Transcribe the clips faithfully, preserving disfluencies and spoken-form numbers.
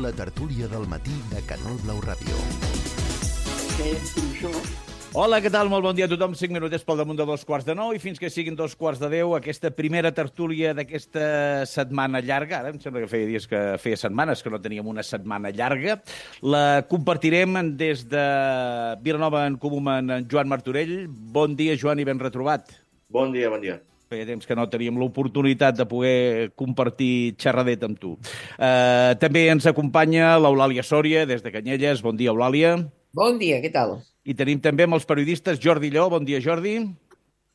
La tertúlia del matí de Canal Blau Ràdio. Hola, què tal? Molt bon dia a tothom. Cinc minutets pel damunt de dos quarts de nou i fins que siguin dos quarts de deu, aquesta primera tertúlia d'aquesta setmana llarga. Ara em sembla que feia dies que feia setmanes que no teníem una setmana llarga. La compartirem des de Vilanova en Comú amb en Joan Martorell. Bon dia, Joan, i ben retrobat. Bon dia, bon dia. Feia temps que no teníem l'oportunitat de poder compartir xerradet amb tu. Uh, també ens acompanya l'Eulàlia Sòria, des de Canyelles. Bon dia, Eulàlia. Bon dia, què tal? I tenim també amb els periodistes Jordi Lleó. Bon dia, Jordi.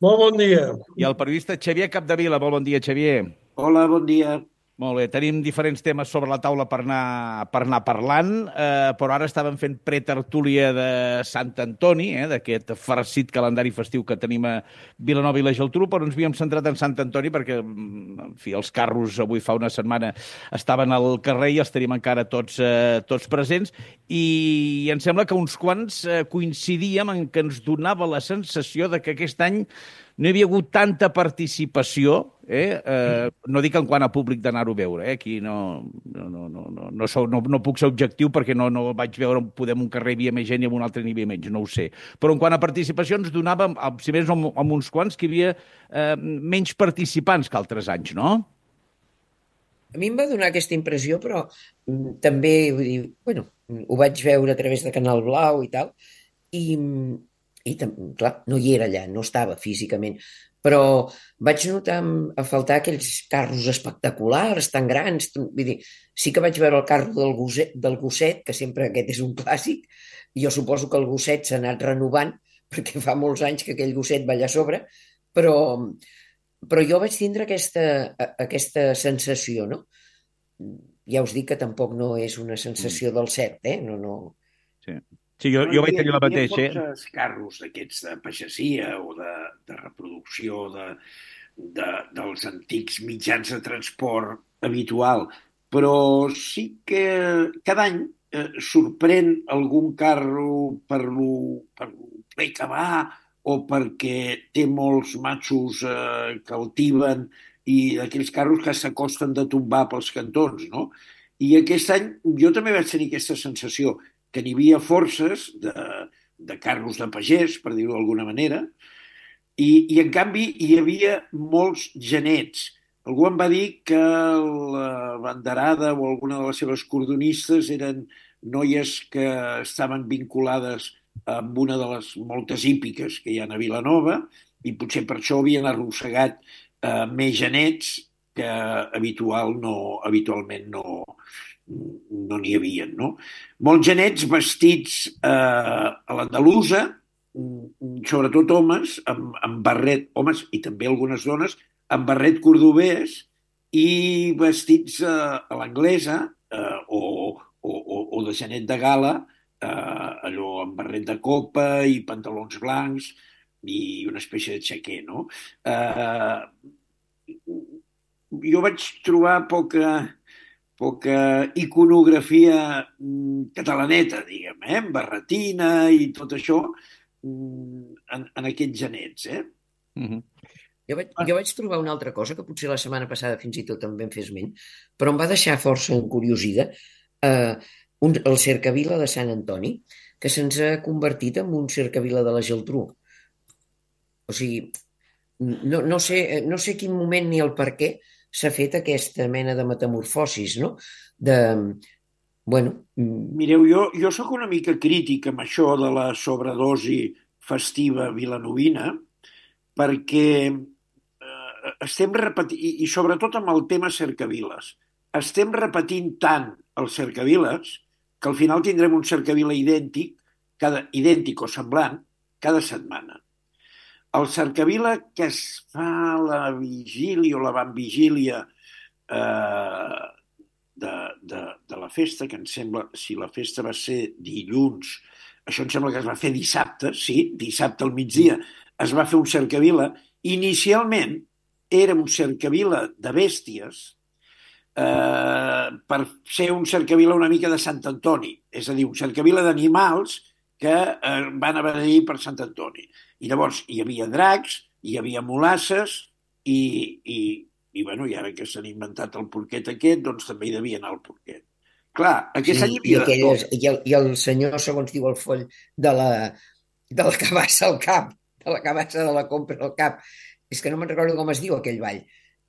Molt bon dia. I el periodista Xavier Capdevila. Molt bon dia, Xavier. Hola, bon dia. Molt bé, tenim diferents temes sobre la taula per anar, per anar parlant, eh, però ara estàvem fent pretertúlia de Sant Antoni, eh, d'aquest farcit calendari festiu que tenim a Vilanova i la Geltrú, però ens havíem centrat en Sant Antoni perquè, en fi, els carros avui fa una setmana estaven al carrer i els tenim encara tots, eh, tots presents, i em sembla que uns quants eh, coincidíem en que ens donava la sensació de que aquest any no hi havia hagut tanta participació, eh? Eh, no dic en quant a públic d'anar-ho a veure, eh? Aquí no, no, no, no, no, no, sou, no, no puc ser objectiu perquè no, no vaig veure on podem un carrer hi havia més gent i en un altre n'hi havia menys, no ho sé. Però en quant a participació ens donava, si més amb, amb uns quants, que hi havia eh, menys participants que altres anys, no? A mi em va donar aquesta impressió, però mm, també, vull dir, bueno, ho vaig veure a través de Canal Blau i tal, i... I, clar, no hi era allà, no estava físicament, però vaig notar a faltar aquells carros espectaculars, tan grans. Vull dir, sí que vaig veure el carro del gosset, del gosset, que sempre aquest és un clàssic, i jo suposo que el gosset s'ha anat renovant, perquè fa molts anys que aquell gosset va allà a sobre, però, però jo vaig tindre aquesta, aquesta sensació, no? Ja us dic que tampoc no és una sensació del cert, eh? No, no... Sí. Sí, jo, jo vaig tenir la mateixa. Hi havia molts carros d'aquests de pagesia o de, de reproducció de, de, dels antics mitjans de transport habitual, però sí que cada any eh, sorprèn algun carro per lo, per lo ple que va o perquè té molts matxos eh, que el tiben i d'aquells carros que s'acosten de tombar pels cantons, no? I aquest any jo també vaig tenir aquesta sensació que n'hi havia forces de, de carros de pagès, per dir-ho d'alguna manera, i, i en canvi hi havia molts genets. Algú em va dir que la banderada o alguna de les seves cordonistes eren noies que estaven vinculades amb una de les moltes hípiques que hi ha a Vilanova i potser per això havien arrossegat eh, més genets que habitual no, habitualment no, no n'hi havia, no? Molts genets vestits eh, a l'andalusa, sobretot homes, amb, amb barret, homes i també algunes dones, amb barret cordobès i vestits eh, a l'anglesa eh, o, o, o de genet de gala, eh, allò amb barret de copa i pantalons blancs i una espècie de xaquer, no? Eh, jo vaig trobar poca... poca iconografia catalaneta, diguem, eh? Barretina i tot això en, en aquests genets, eh? Mm-hmm. Jo vaig, jo vaig trobar una altra cosa que potser la setmana passada fins i tot en vam fer esment, però em va deixar força encuriosida, eh, un, el cercavila de Sant Antoni, que se'ns ha convertit en un cercavila de la Geltrú. O sigui, no, no, sé, no sé quin moment ni el per què s'ha fet aquesta mena de metamorfosis, no? De, bueno... Mireu, jo, jo sóc una mica crític amb això de la sobredosi festiva vilanovina, perquè eh, estem repetint, i, i sobretot amb el tema cercaviles, estem repetint tant els cercaviles que al final tindrem un cercavila idèntic, cada, idèntic o semblant, cada setmana. El cercavila que es fa la vigília o la vanvigília eh, de, de, de la festa, que em sembla, si la festa va ser dilluns, això em sembla que es va fer dissabte, sí, dissabte al migdia, es va fer un cercavila. Inicialment era un cercavila de bèsties eh, per ser un cercavila una mica de Sant Antoni, és a dir, un cercavila d'animals que eh, van a beneir per Sant Antoni. I llavors hi havia dracs, hi havia mulasses i, i, i, bueno, i ara que s'han inventat el porquet aquest, doncs també hi devia anar el porquet. Clar, aquest Sí, any hi i, havia de aquelles, tot. i, el, i el senyor, segons diu el foll, de la, de la cabassa al cap, de la cabassa de la compra al cap. És que no me'n recordo com es diu aquell ball,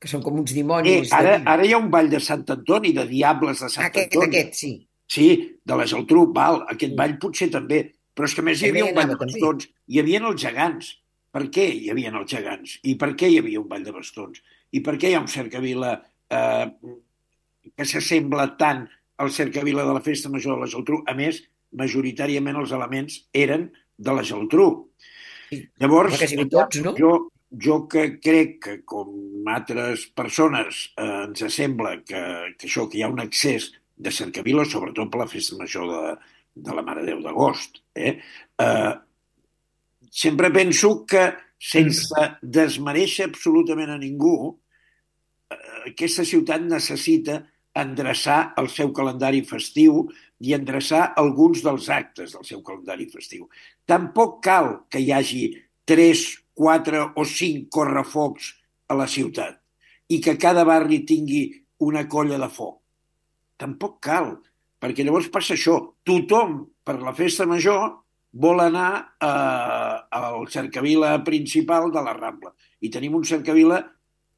que són com uns Eh, dimonis de ara, vi. ara hi ha un ball de Sant Antoni, de Diables de Ah, Sant aquest, Antoni. aquest, sí. Sí, de la Geltrú, val, aquest Mm. ball potser també. Però és que a més hi També havia hi un ball anava, de també. bastons. Hi havia els gegants. Per què hi havia els gegants? I per què hi havia un ball de bastons? I per què hi ha un cercavila eh, que s'assembla tant al cercavila de la Festa Major de la Geltrú? A més, majoritàriament els elements eren de la Geltrú. Sí. Home, Llavors, quasi tots, no? jo, jo que crec que, com altres persones, eh, ens sembla que, que això, que hi ha un excés de cercavila, sobretot per la festa major de, de la Mare de Déu d'agost, eh? Eh, sempre penso que, sense desmereixer absolutament a ningú, aquesta ciutat necessita endreçar el seu calendari festiu i endreçar alguns dels actes del seu calendari festiu. Tampoc cal que hi hagi tres, quatre o cinc correfocs a la ciutat i que cada barri tingui una colla de foc. Tampoc cal, perquè llavors passa això. Tothom, per la festa major, vol anar eh, al cercavila principal de la Rambla. I tenim un cercavila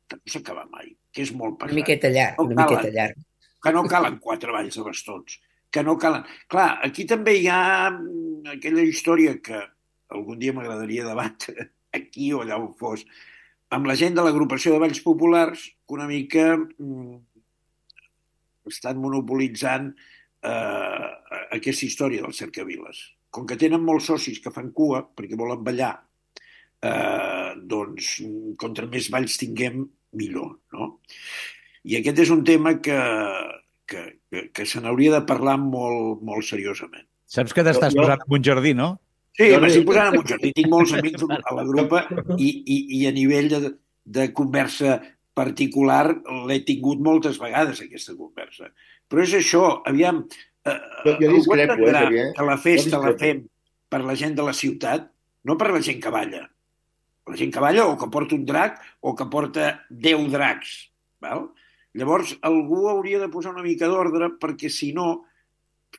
que no s'acaba mai, que és molt Una pesat. miqueta llarg, No una calen, miqueta llarg. que no calen quatre balls de bastons, que no calen. Clar, aquí també hi ha mm, aquella història que algun dia m'agradaria debatre, aquí o allà on fos, amb la gent de l'agrupació de balls populars, que una mica mm, estan monopolitzant eh, aquesta història dels cercaviles. Com que tenen molts socis que fan cua perquè volen ballar, eh, doncs contra més balls tinguem, millor, no? I aquest és un tema que, que, que, que se n'hauria de parlar molt, molt seriosament. Saps que t'estàs Jo- jo- posant en un jardí, no? Sí, Jo m'estic li- posant en un jardí. Tinc molts amics a la grupa i, i, i a nivell de, de conversa particular l'he tingut moltes vegades, aquesta conversa. Però és això, aviam, eh, Jo- jo algú discrepo, eh, entendrà Xavier? que la Jo festa la discrepo. fem per la gent de la ciutat, no per la gent que balla. La gent que balla o que porta un drac o que porta deu dracs. Val? Llavors, algú hauria de posar una mica d'ordre perquè, si no,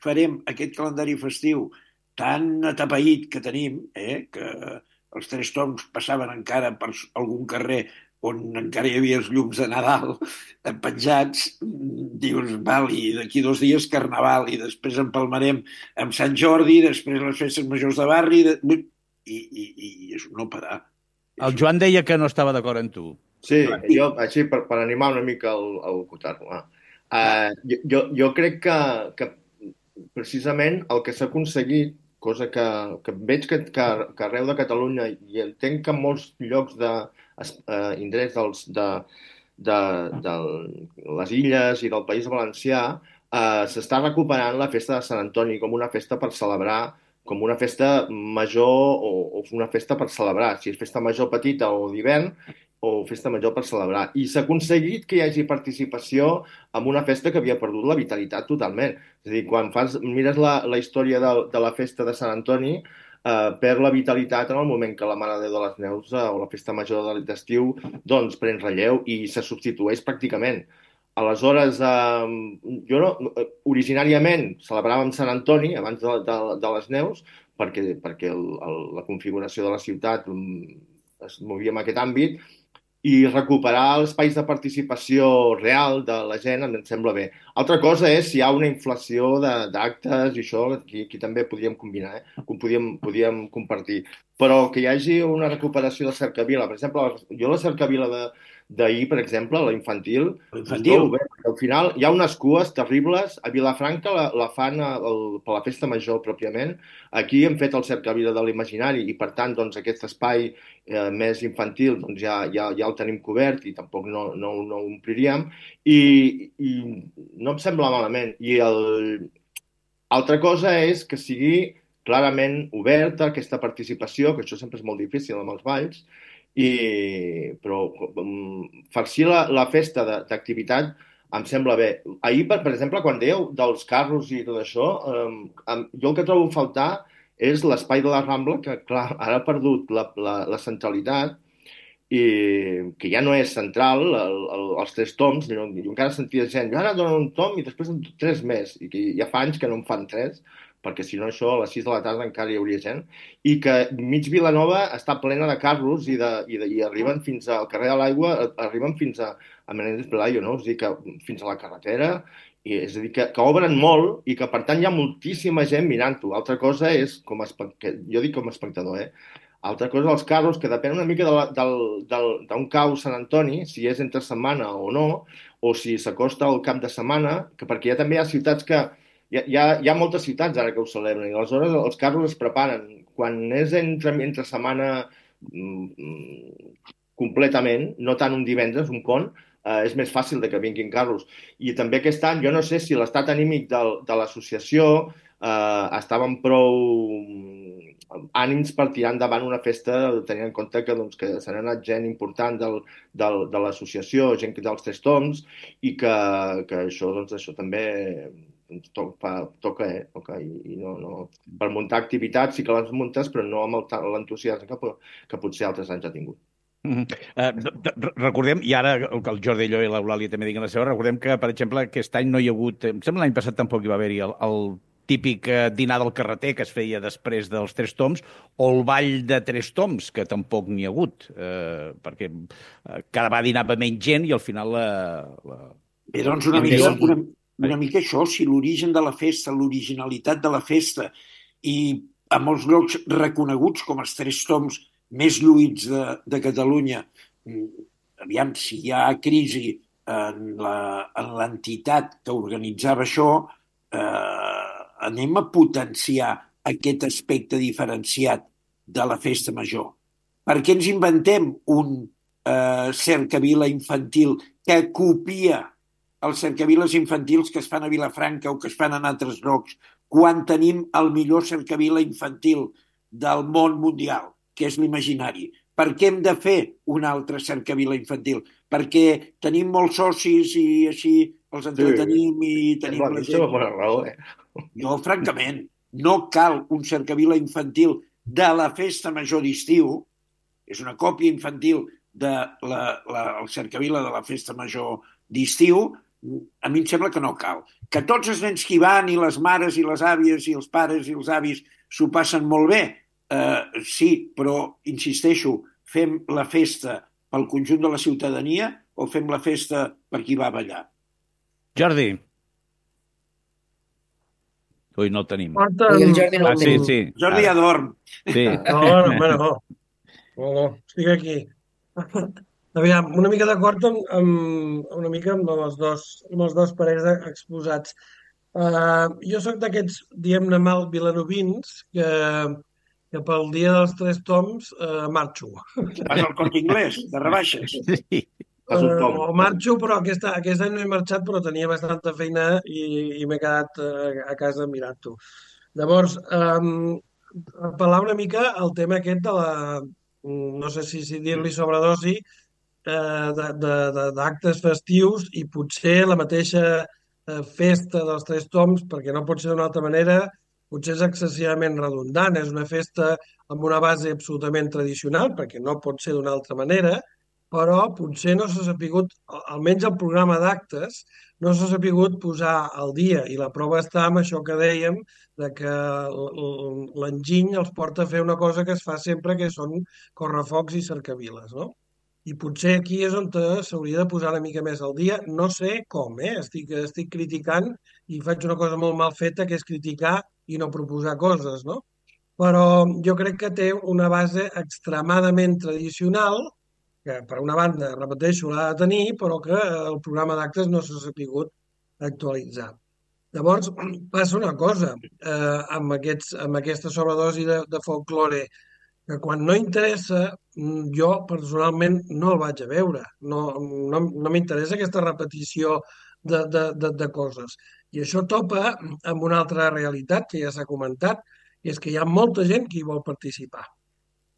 farem aquest calendari festiu tan atapeït que tenim, eh, que els Tres Tombs passaven encara per algun carrer on encara hi havia els llums de Nadal penjats, dius, val, i d'aquí dos dies Carnaval, i després empalmarem amb Sant Jordi, després les festes majors de barri, de... i, i, i és un no parar. El Joan deia que no estava d'acord amb tu. Sí, jo, així, per, per animar una mica el, el Cotarro. Ah. Uh, jo, jo crec que, que precisament el que s'ha aconseguit, cosa que, que veig que, que, que arreu de Catalunya i entenc que en molts llocs de, uh, indrets dels, de, de, de les illes i del País Valencià, uh, s'està recuperant la festa de Sant Antoni com una festa per celebrar, com una festa major o, o una festa per celebrar, si és festa major petita o d'hivern, o festa major per celebrar. I s'ha aconseguit que hi hagi participació en una festa que havia perdut la vitalitat totalment. És a dir, quan fas, mires la, la història de, de la festa de Sant Antoni, eh, perd la vitalitat en el moment que la Mare de Déu de les Neus eh, o la festa major d'estiu doncs pren relleu i se substitueix pràcticament. Aleshores, eh, jo no, originàriament celebràvem Sant Antoni abans de, de, de les neus perquè, perquè el, el, la configuració de la ciutat es movia en aquest àmbit, i recuperar els espais de participació real de la gent em sembla bé. Altra cosa és si hi ha una inflació d'actes i això, aquí, aquí també podríem combinar, eh? podíem, podíem compartir. Però que hi hagi una recuperació de cercavila. Per exemple, jo la cercavila de, d'ahir, per exemple, la infantil, Infantil. Bé, al final hi ha unes cues terribles. A Vilafranca la, la fan el, per la festa major pròpiament. Aquí hem fet el cercavila de l'imaginari i, per tant, doncs, aquest espai eh, més infantil doncs, ja, ja, ja el tenim cobert i tampoc no, no, no ho ompliríem. I, I no em sembla malament. I el... altra cosa és que sigui clarament oberta aquesta participació, que això sempre és molt difícil amb els balls, i, però um, farcir la, la festa d'activitat em sembla bé. Ahir, per, per exemple, quan dèieu dels carros i tot això, um, jo el que trobo a faltar és l'espai de la Rambla, que clar, ara ha perdut la, la, la centralitat, i que ja no és central, el, el, els tres toms, jo, jo encara sentia gent, jo ara dono un tom i després en dono tres més, i que ja fa anys que no en fan tres, perquè si no això a les sis de la tarda encara hi hauria gent, i que mig Vilanova està plena de carros i, de, i, de, i arriben fins al carrer de l'Aigua, arriben fins a, a Menéndez Pelayo, no? És a dir, que fins a la carretera, i és a dir, que, que obren molt i que per tant hi ha moltíssima gent mirant-ho. Altra cosa és, com a, jo dic com a espectador, eh? Altra cosa, els carros, que depèn una mica d'un cau Sant Antoni, si és entre setmana o no, o si s'acosta al cap de setmana, que perquè ja també hi ha ciutats que... Hi ha, hi, ha, hi ha moltes ciutats ara que ho celebren, i aleshores els carros es preparen. Quan és entre, entre setmana mm, completament, no tant un divendres, un pont, eh, és més fàcil de que vinguin carros. I també aquest any, jo no sé si l'estat anímic del, de l'associació eh, estava amb prou ànims per tirar endavant una festa, tenint en compte que, doncs, que s'ha anat gent important del, del, de l'associació, gent dels tres toms, i que, que això, doncs, això també toca, toca, eh? toca i, i no, no. Per muntar activitats sí que les muntes, però no amb l'entusiasme que, que potser altres anys ha tingut. Mm -hmm. uh, recordem, i ara el, el Jordi Allò i l'Eulàlia també diguen la seva, recordem que, per exemple, aquest any no hi ha hagut, em sembla l'any passat tampoc hi va haver-hi el, el típic dinar del carreter que es feia després dels tres toms, o el ball de tres toms, que tampoc n'hi ha hagut, eh, perquè cada vegada dinava menys gent i al final la... la... Bé, doncs una mica, una, una mica això, si l'origen de la festa, l'originalitat de la festa, i a molts llocs reconeguts com els tres toms més lluïts de, de Catalunya, aviam, si hi ha crisi en l'entitat que organitzava això, eh, anem a potenciar aquest aspecte diferenciat de la festa major. Per què ens inventem un eh, cercavila infantil que copia els cercaviles infantils que es fan a Vilafranca o que es fan en altres llocs, quan tenim el millor cercavila infantil del món mundial, que és l'imaginari? Per què hem de fer un altre cercavila infantil? Perquè tenim molts socis i així els entretenim sí, i tenim la gent... Bona raó, eh? Jo, francament, no cal un cercavila infantil de la festa major d'estiu, és una còpia infantil del de la, cercavila de la festa major d'estiu, a mi em sembla que no cal. Que tots els nens que hi van, i les mares, i les àvies, i els pares, i els avis, s'ho passen molt bé, eh, sí, però, insisteixo, fem la festa pel conjunt de la ciutadania o fem la festa per qui va a ballar? Jordi. Ui, no el tenim. Porta... el Jordi no ah, sí, sí. Jordi ja dorm. Sí. No, no, no, no. No, no, estic aquí. Aviam, una mica d'acord amb, amb, una mica amb els dos, amb els dos parers exposats. Uh, jo sóc d'aquests, diguem-ne mal, vilanovins, que, que pel dia dels tres toms uh, marxo. Vas al Corte Inglés, de rebaixes. Sí. Uh, o marxo, però aquest, aquest any no he marxat, però tenia bastanta feina i, i m'he quedat uh, a casa mirant-ho. Llavors, um, apel·lar una mica al tema aquest de la, no sé si, si dir-li sobredosi, uh, d'actes festius, i potser la mateixa uh, festa dels tres toms, perquè no pot ser d'una altra manera, potser és excessivament redundant. És una festa amb una base absolutament tradicional, perquè no pot ser d'una altra manera, però potser no s'ha sapigut, almenys el programa d'actes, no s'ha sapigut posar al dia, i la prova està amb això que dèiem, de que l'enginy els porta a fer una cosa que es fa sempre, que són correfocs i cercaviles, no? I potser aquí és on s'hauria de posar una mica més al dia. No sé com, eh? Estic, estic criticant i faig una cosa molt mal feta, que és criticar i no proposar coses, no? Però jo crec que té una base extremadament tradicional, que per una banda, repeteixo, l'ha de tenir, però que el programa d'actes no s'ha sapigut actualitzar. Llavors, passa una cosa eh, amb, aquests, amb aquesta sobredosi de, de folklore, que quan no interessa, jo personalment no el vaig a veure. No, no, no m'interessa aquesta repetició de, de, de, de coses. I això topa amb una altra realitat que ja s'ha comentat, i és que hi ha molta gent que hi vol participar.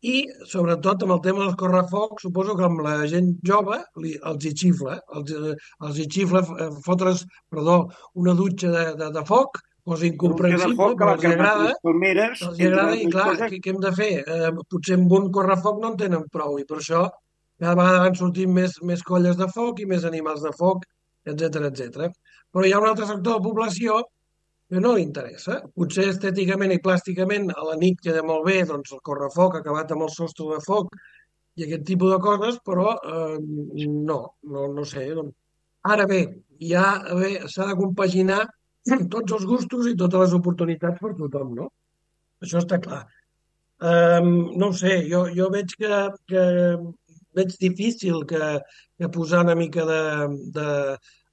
I, sobretot, amb el tema dels correfocs, suposo que amb la gent jove li, els hi xifla, els, els hi xifla fotre's, perdó, una dutxa de, de, de foc, cosa incomprensible, però els agrada, els agrada i, clar, què, què hem de fer? Eh, potser amb un correfoc no en tenen prou, i per això cada vegada van sortint més, més colles de foc i més animals de foc, etcètera, etcètera. Però hi ha un altre sector de població que no li interessa. Potser estèticament i plàsticament a la nit queda molt bé doncs, el correfoc acabat amb el sostre de foc i aquest tipus de coses, però eh, no, no, no sé. Doncs. Ara bé, ja bé, s'ha de compaginar tots els gustos i totes les oportunitats per tothom, no? Això està clar. Um, no ho sé, jo, jo veig que, que veig difícil que, que posar una mica de, de,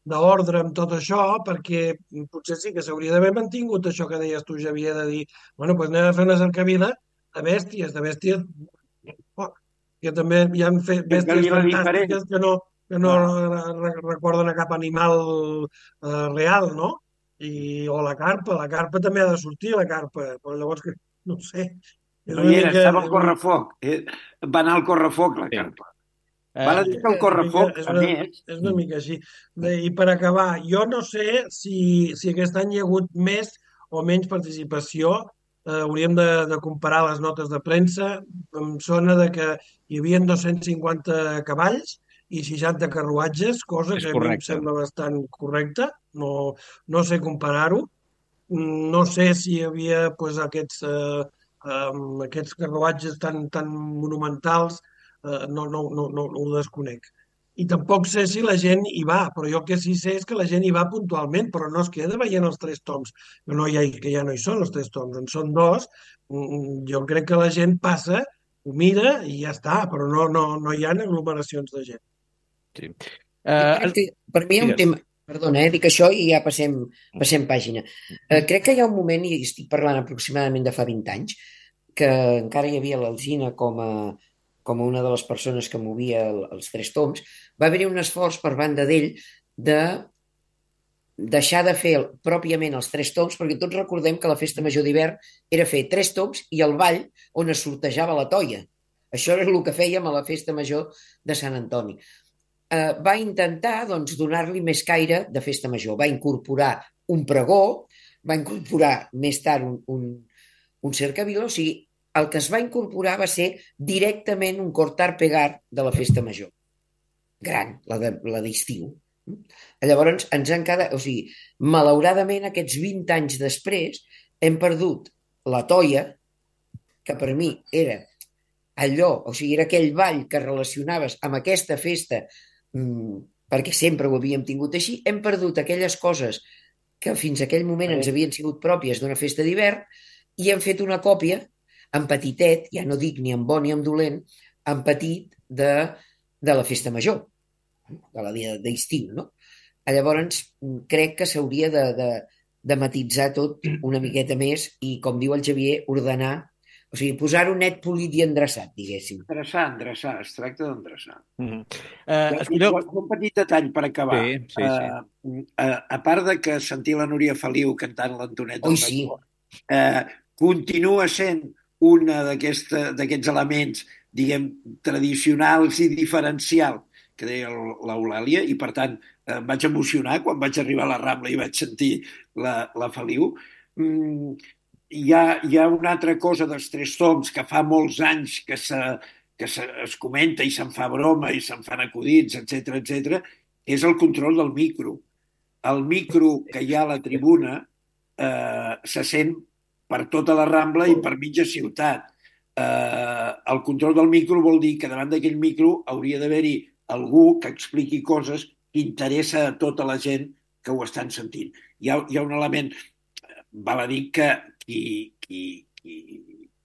d'ordre amb tot això, perquè potser sí que s'hauria d'haver mantingut això que deies tu, Xavier, de dir, bueno, doncs anem a fer una cercavila de bèsties, de bèsties, oh, que també hi ha fet bèsties fantàstiques que no, que no re recorden a cap animal eh, real, no? I, o la carpa, la carpa també ha de sortir, la carpa, però llavors, que, no ho sé, és No una hi era, mica... estava al correfoc. Eh, va anar al correfoc, la Sí. carpa. Eh, Val a dir que el correfoc, és a una, més... és una mica així. Bé, I per acabar, jo no sé si, si aquest any hi ha hagut més o menys participació. Eh, hauríem de, de comparar les notes de premsa. Em sona de que hi havia dos-cents cinquanta cavalls i seixanta carruatges, cosa És que a mi em correcte. sembla bastant correcta. No, no sé comparar-ho. No sé si hi havia pues, aquests, eh, um, aquests carruatges tan, tan monumentals, eh, no, no, no, no, no ho desconec. I tampoc sé si la gent hi va, però jo que sí sé és que la gent hi va puntualment, però no es queda veient els tres toms, que, no hi ha, que ja no hi són els tres toms, en són dos. Mm, Jo crec que la gent passa, ho mira i ja està, però no, no, no hi ha aglomeracions de gent. sí. Jo Eh, crec que per mi hi ha un digues. tema... Perdona, eh, dic això i ja passem, passem pàgina. Eh, crec que hi ha un moment, i estic parlant aproximadament de fa vint anys, que encara hi havia l'Alzina com a, com a una de les persones que movia el, els tres toms, va haver-hi un esforç per banda d'ell de deixar de fer pròpiament els tres toms, perquè tots recordem que la festa major d'hivern era fer tres toms i el ball on es sortejava la toia. Això era el que fèiem a la festa major de Sant Antoni. Eh, va intentar doncs, donar-li més caire de festa major. Va incorporar un pregó, va incorporar més tard un, un, un cercavila, o sigui, el que es va incorporar va ser directament un cortar pegar de la festa major. Gran, la de, la d'estiu. Llavors ens han quedat, o sigui, malauradament aquests vint anys després hem perdut la toia, que per mi era allò, o sigui, era aquell ball que relacionaves amb aquesta festa mmm, perquè sempre ho havíem tingut així, hem perdut aquelles coses que fins a aquell moment ens havien sigut pròpies d'una festa d'hivern i hem fet una còpia en petitet, ja no dic ni en bo ni en dolent, en petit de, de la festa major, de la dia d'estiu, no? Llavors, crec que s'hauria de, de, de matisar tot una miqueta més i, com diu el Xavier, ordenar, o sigui, posar-ho net, polit i endreçat, diguéssim. Endreçar, endreçar, es tracta d'endreçar. Mm -hmm. eh, escolteu... Un petit detall per acabar. Sí, sí, sí. Uh, a, a part de que sentir la Núria Feliu cantant l'Antonet Oi, sí. eh, continua sent un d'aquests elements, diguem, tradicionals i diferencial que deia l'Eulàlia, i per tant eh, em vaig emocionar quan vaig arribar a la Rambla i vaig sentir la, la Feliu. Mm, hi, ha, hi ha una altra cosa dels tres toms que fa molts anys que, se, que se, es comenta i se'n fa broma i se'n fan acudits, etcètera, etcètera, és el control del micro. El micro que hi ha a la tribuna eh, se sent per tota la Rambla i per mitja ciutat. Eh, el control del micro vol dir que davant d'aquell micro hauria d'haver-hi algú que expliqui coses que interessa a tota la gent que ho estan sentint. Hi ha, hi ha un element, val a dir que qui, qui, qui,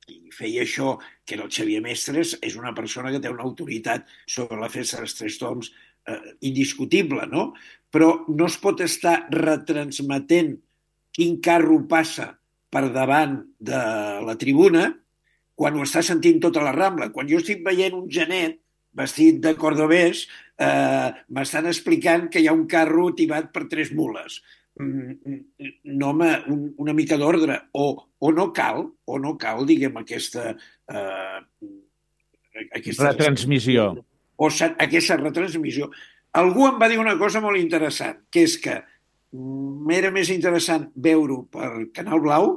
qui feia això, que era el Xavier Mestres, és una persona que té una autoritat sobre la festa dels tres toms eh, indiscutible, no? Però no es pot estar retransmetent quin carro passa per davant de la tribuna quan ho està sentint tota la Rambla. Quan jo estic veient un genet vestit de cordobès, eh, m'estan explicant que hi ha un carro tibat per tres mules. No, home, un, una mica d'ordre. O, o no cal, o no cal, diguem, aquesta... Eh, aquesta retransmissió. O aquesta retransmissió. Algú em va dir una cosa molt interessant, que és que m'era més interessant veure-ho per Canal Blau,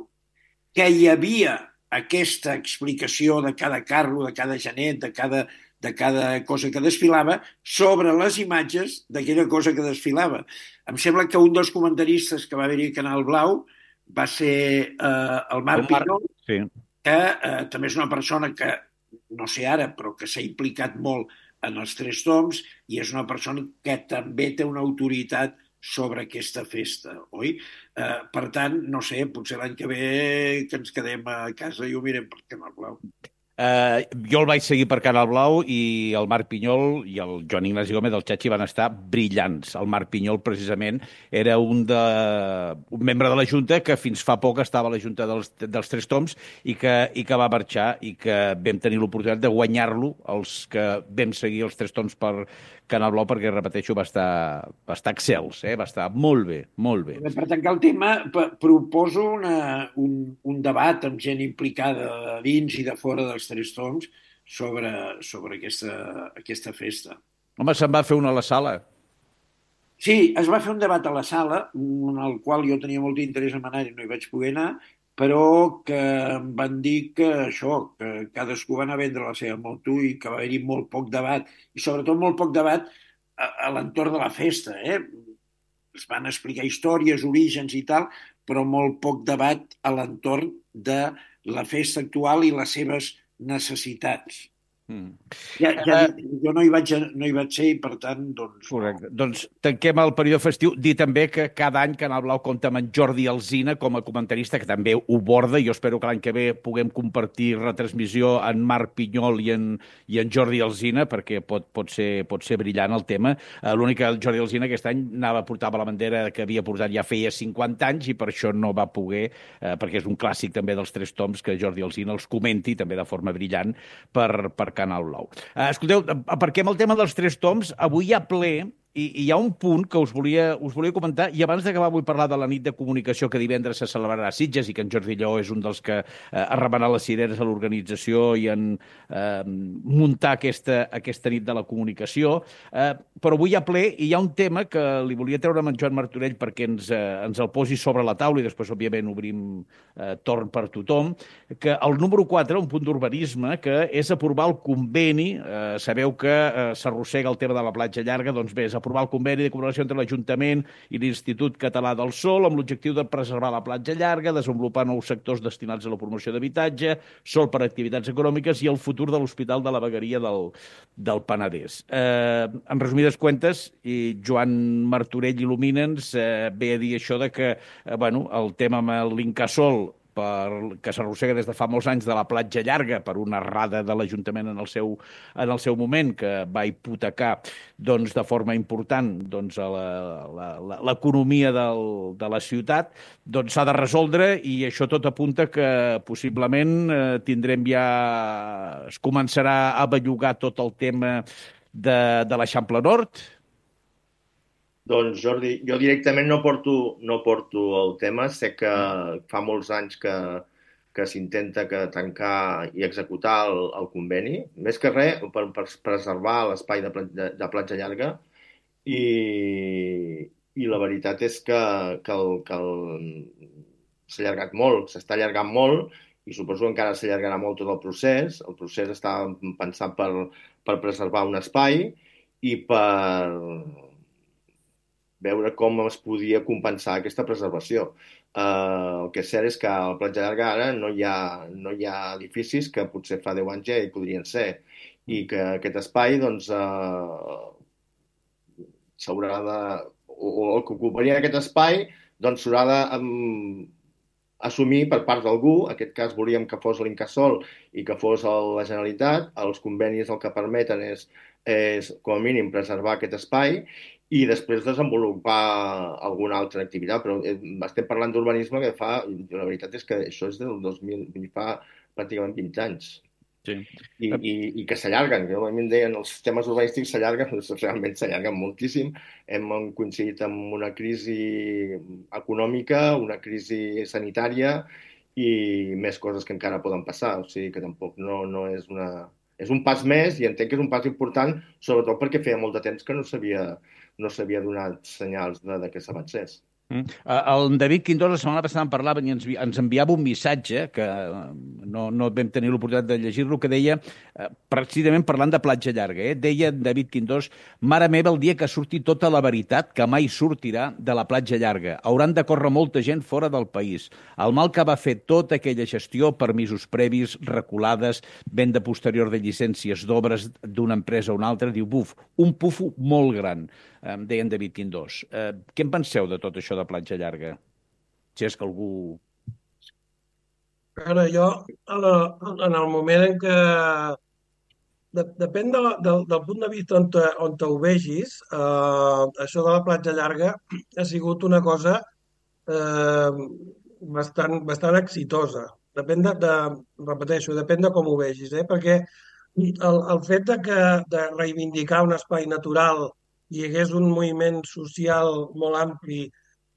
que hi havia aquesta explicació de cada carro, de cada genet, de cada de cada cosa que desfilava sobre les imatges d'aquella cosa que desfilava. Em sembla que un dels comentaristes que va haver-hi a Canal Blau va ser eh, el Marc El Marc, Pinyol, sí. que eh, també és una persona que, no sé ara, però que s'ha implicat molt en els Tres Tombs i és una persona que també té una autoritat sobre aquesta festa, oi? Eh, per tant, no sé, potser l'any que ve que ens quedem a casa i ho mirem per Canal Blau. Uh, jo el vaig seguir per Canal Blau i el Marc Pinyol i el Joan Ignasi Gómez del Chachi van estar brillants. El Marc Pinyol, precisament, era un, de, un membre de la Junta que fins fa poc estava a la Junta dels, dels Tres Tombs i que, i que va marxar i que vam tenir l'oportunitat de guanyar-lo, els que vam seguir els Tres Tombs per Canal Blau, perquè, repeteixo, va estar, va estar excels, eh? Va estar molt bé, molt bé. Per tancar el tema, proposo una, un, un debat amb gent implicada dins i de fora dels Tres Tombs sobre, sobre aquesta, aquesta festa. Home, se'n va fer una a la sala. Sí, es va fer un debat a la sala, en el qual jo tenia molt interès en anar i no hi vaig poder anar, però que em van dir que això, que cadascú va anar a vendre la seva moto i que va haver-hi molt poc debat, i sobretot molt poc debat a, a l'entorn de la festa, eh? Es van explicar històries, orígens i tal, però molt poc debat a l'entorn de la festa actual i les seves necessitats. Mm. Ja, ja dic, jo no hi, vaig, no hi vaig ser i, per tant, doncs... Correcte. No. Doncs tanquem el període festiu. Dir també que cada any Canal Blau compta amb en Jordi Alsina com a comentarista, que també ho borda. Jo espero que l'any que ve puguem compartir retransmissió en Marc Pinyol i en, i en Jordi Alsina, perquè pot, pot, ser, pot ser brillant el tema. Uh, L'únic que el Jordi Alsina aquest any anava a portar la bandera que havia portat ja feia cinquanta anys i per això no va poder, uh, perquè és un clàssic també dels Tres Tombs, que Jordi Alsina els comenti també de forma brillant per, per Canal Blau. Uh, escolteu, aparquem el tema dels Tres Tombs. Avui hi ha ple i, i hi ha un punt que us volia, us volia comentar, i abans d'acabar vull parlar de la nit de comunicació que divendres se celebrarà a Sitges i que en Jordi Lleó és un dels que eh, ha remenat les cireres a l'organització i en eh, muntar aquesta, aquesta nit de la comunicació. Eh, però avui hi ha ple i hi ha un tema que li volia treure amb en Joan Martorell perquè ens, eh, ens el posi sobre la taula i després, òbviament, obrim eh, torn per tothom, que el número quatre, un punt d'urbanisme, que és aprovar el conveni. Eh, sabeu que eh, s'arrossega el tema de la platja llarga, doncs bé, és aprovar el conveni de col·laboració entre l'Ajuntament i l'Institut Català del Sol amb l'objectiu de preservar la platja llarga, desenvolupar nous sectors destinats a la promoció d'habitatge, sol per a activitats econòmiques i el futur de l'Hospital de la Vegueria del, del Penedès. Eh, en resumides comptes, i Joan Martorell il·lumina'ns, eh, ve a dir això de que eh, bueno, el tema amb l'Incasòl, per, que s'arrossega des de fa molts anys de la platja llarga per una errada de l'Ajuntament en el seu, en el seu moment, que va hipotecar doncs, de forma important doncs, l'economia de la ciutat, doncs s'ha de resoldre i això tot apunta que possiblement eh, tindrem ja... es començarà a bellugar tot el tema de, de l'Eixample Nord. Doncs, Jordi, jo directament no porto, no porto el tema. Sé que fa molts anys que, que s'intenta que tancar i executar el, el conveni, més que res per, per preservar l'espai de, de, de platja llarga i, i la veritat és que, que, el, que el, s'ha allargat molt, s'està allargant molt i suposo que encara s'allargarà molt tot el procés. El procés està pensat per, per preservar un espai i per veure com es podia compensar aquesta preservació. Uh, el que és cert és que a la platja llarga ara no hi ha, no hi ha edificis que potser fa deu anys ja hi podrien ser i que aquest espai doncs uh, s'haurà de... o, o el que ocuparia aquest espai doncs s'haurà de um, assumir per part d'algú. En aquest cas volíem que fos l'Incasòl i que fos la Generalitat. Els convenis el que permeten és, és com a mínim preservar aquest espai i després desenvolupar alguna altra activitat. Però estem parlant d'urbanisme que fa... La veritat és que això és del dos mil... fa pràcticament vint anys. Sí. I, i, i que s'allarguen. Que a mi em deien els temes urbanístics s'allarguen, realment s'allarguen moltíssim. Hem coincidit amb una crisi econòmica, una crisi sanitària i més coses que encara poden passar. O sigui que tampoc no, no és una... És un pas més i entenc que és un pas important, sobretot perquè feia molt de temps que no s'havia no s'havia donat senyals de, de que s'avancés. Mm. Eh, El David Quintós la setmana passada en parlava i ens, vi- ens enviava un missatge que eh, no, no vam tenir l'oportunitat de llegir-lo, que deia, eh, precisament parlant de platja llarga, eh, deia en David Quintós: mare meva, el dia que surti tota la veritat, que mai sortirà de la platja llarga. Hauran de córrer molta gent fora del país. El mal que va fer tota aquella gestió, permisos previs, reculades, venda posterior de llicències d'obres d'una empresa a una altra, diu, buf, un pufo molt gran, eh, deia en David Quintós. Eh, què en penseu de tot això de platja llarga? Si és que algú... Ara, jo, a la, en el moment en què... De, depèn de, la- del del punt de vista on, te, on te ho vegis, eh, això de la platja llarga ha sigut una cosa eh, bastant, bastant exitosa. Depèn de, de, repeteixo, depèn de com ho vegis, eh? Perquè el, el fet de, que, de reivindicar un espai natural hi hagués un moviment social molt ampli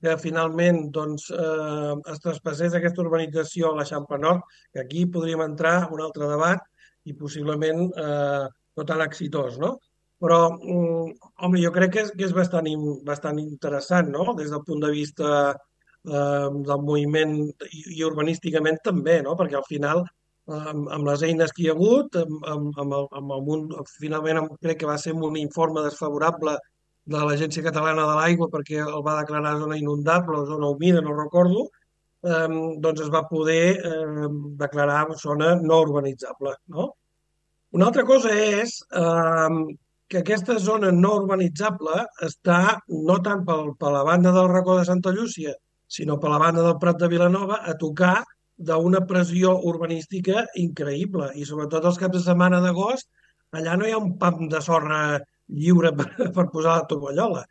que finalment doncs, eh, es traspassés aquesta urbanització a l'Eixample Nord, que aquí podríem entrar en un altre debat i possiblement eh, no tan exitós, no? Però, mm, home, jo crec que és, que és bastant, in- bastant interessant, no? Des del punt de vista eh, del moviment i, i urbanísticament també, no? Perquè al final, eh, amb, amb les eines que hi ha hagut, amb, amb, amb, el, amb el, munt- finalment amb, crec que va ser amb un informe desfavorable de l'Agència Catalana de l'Aigua perquè el va declarar zona inundable o zona humida, no recordo, eh, doncs es va poder eh, declarar zona no urbanitzable, no? Una altra cosa és eh, que aquesta zona no urbanitzable està no tant pel, per la banda del racó de Santa Llúcia, sinó per la banda del Prat de Vilanova, a tocar d'una pressió urbanística increïble. I sobretot els caps de setmana d'agost, allà no hi ha un pam de sorra lliure per, per posar la tovallola.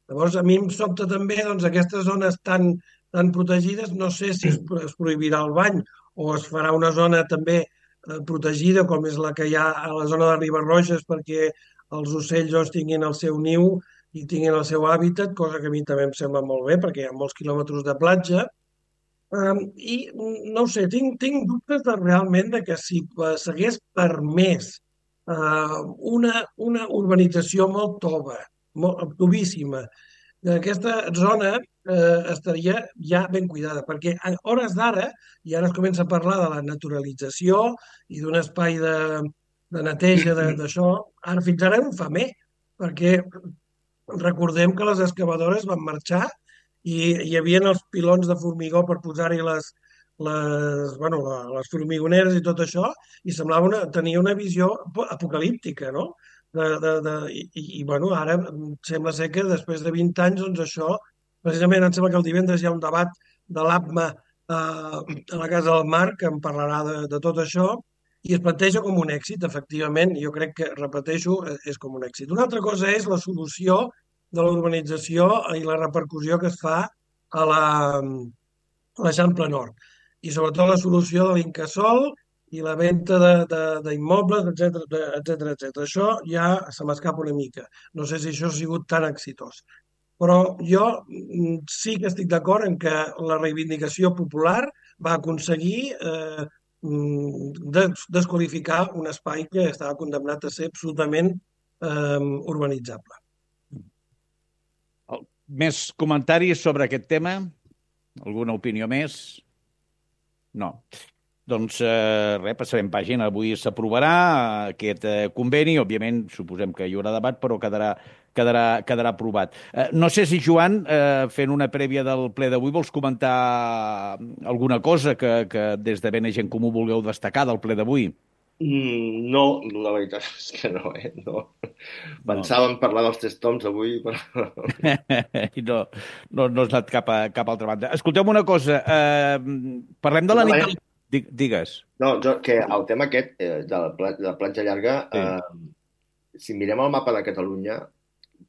Llavors, a mi em sobta també doncs, aquestes zones tan, tan protegides, no sé si es, es prohibirà el bany o es farà una zona també eh, protegida, com és la que hi ha a la zona de Ribarroges, perquè els ocells doncs, tinguin el seu niu i tinguin el seu hàbitat, cosa que a mi també em sembla molt bé, perquè hi ha molts quilòmetres de platja. Um, I mm, no ho sé, tinc, tinc dubtes de, realment de que si eh, s'hagués permès uh, una, una urbanització molt tova, molt tovíssima, aquesta zona eh, estaria ja ben cuidada, perquè a hores d'ara, i ara es comença a parlar de la naturalització i d'un espai de, de neteja de- d'això, ara fins ara no fa més, perquè recordem que les excavadores van marxar i hi havia els pilons de formigó per posar-hi les, les, bueno, la- les formigoneres i tot això, i semblava una, tenia una visió apo- apocalíptica, no? De, de, de, i, i, i, bueno, ara sembla ser que després de vint anys, doncs això, precisament em sembla que el divendres hi ha un debat de l'APMA eh, a la Casa del Mar que en parlarà de, de tot això i es planteja com un èxit, efectivament, jo crec que, repeteixo, eh, és com un èxit. Una altra cosa és la solució de la urbanització i la repercussió que es fa a la, a l'Eixample Nord. I sobretot la solució de l'Incasòl i la venda d'immobles, etcètera, etcètera, etcètera. Això ja se m'escapa una mica. No sé si això ha sigut tan exitós. Però jo mm, sí que estic d'acord en que la reivindicació popular va aconseguir eh, mm, des desqualificar un espai que estava condemnat a ser absolutament eh, urbanitzable. Més comentaris sobre aquest tema? Alguna opinió més? No. Doncs eh, res, passarem pàgina. Avui s'aprovarà aquest eh, conveni. Òbviament, suposem que hi haurà debat, però quedarà, quedarà, quedarà aprovat. Eh, no sé si, Joan, eh, fent una prèvia del ple d'avui, vols comentar alguna cosa que, que des de Bene Gent Comú vulgueu destacar del ple d'avui? Mm, no, la veritat és que no, eh? No. No. Pensàvem parlar dels tres toms avui, però... I no, no, no has anat cap a cap altra banda. Escolteu una cosa. Eh, parlem de la No, nit... eh? del- Di- Digues. No, jo, que el tema aquest eh, de, la, pla- de la platja llarga, Sí. eh, si mirem el mapa de Catalunya,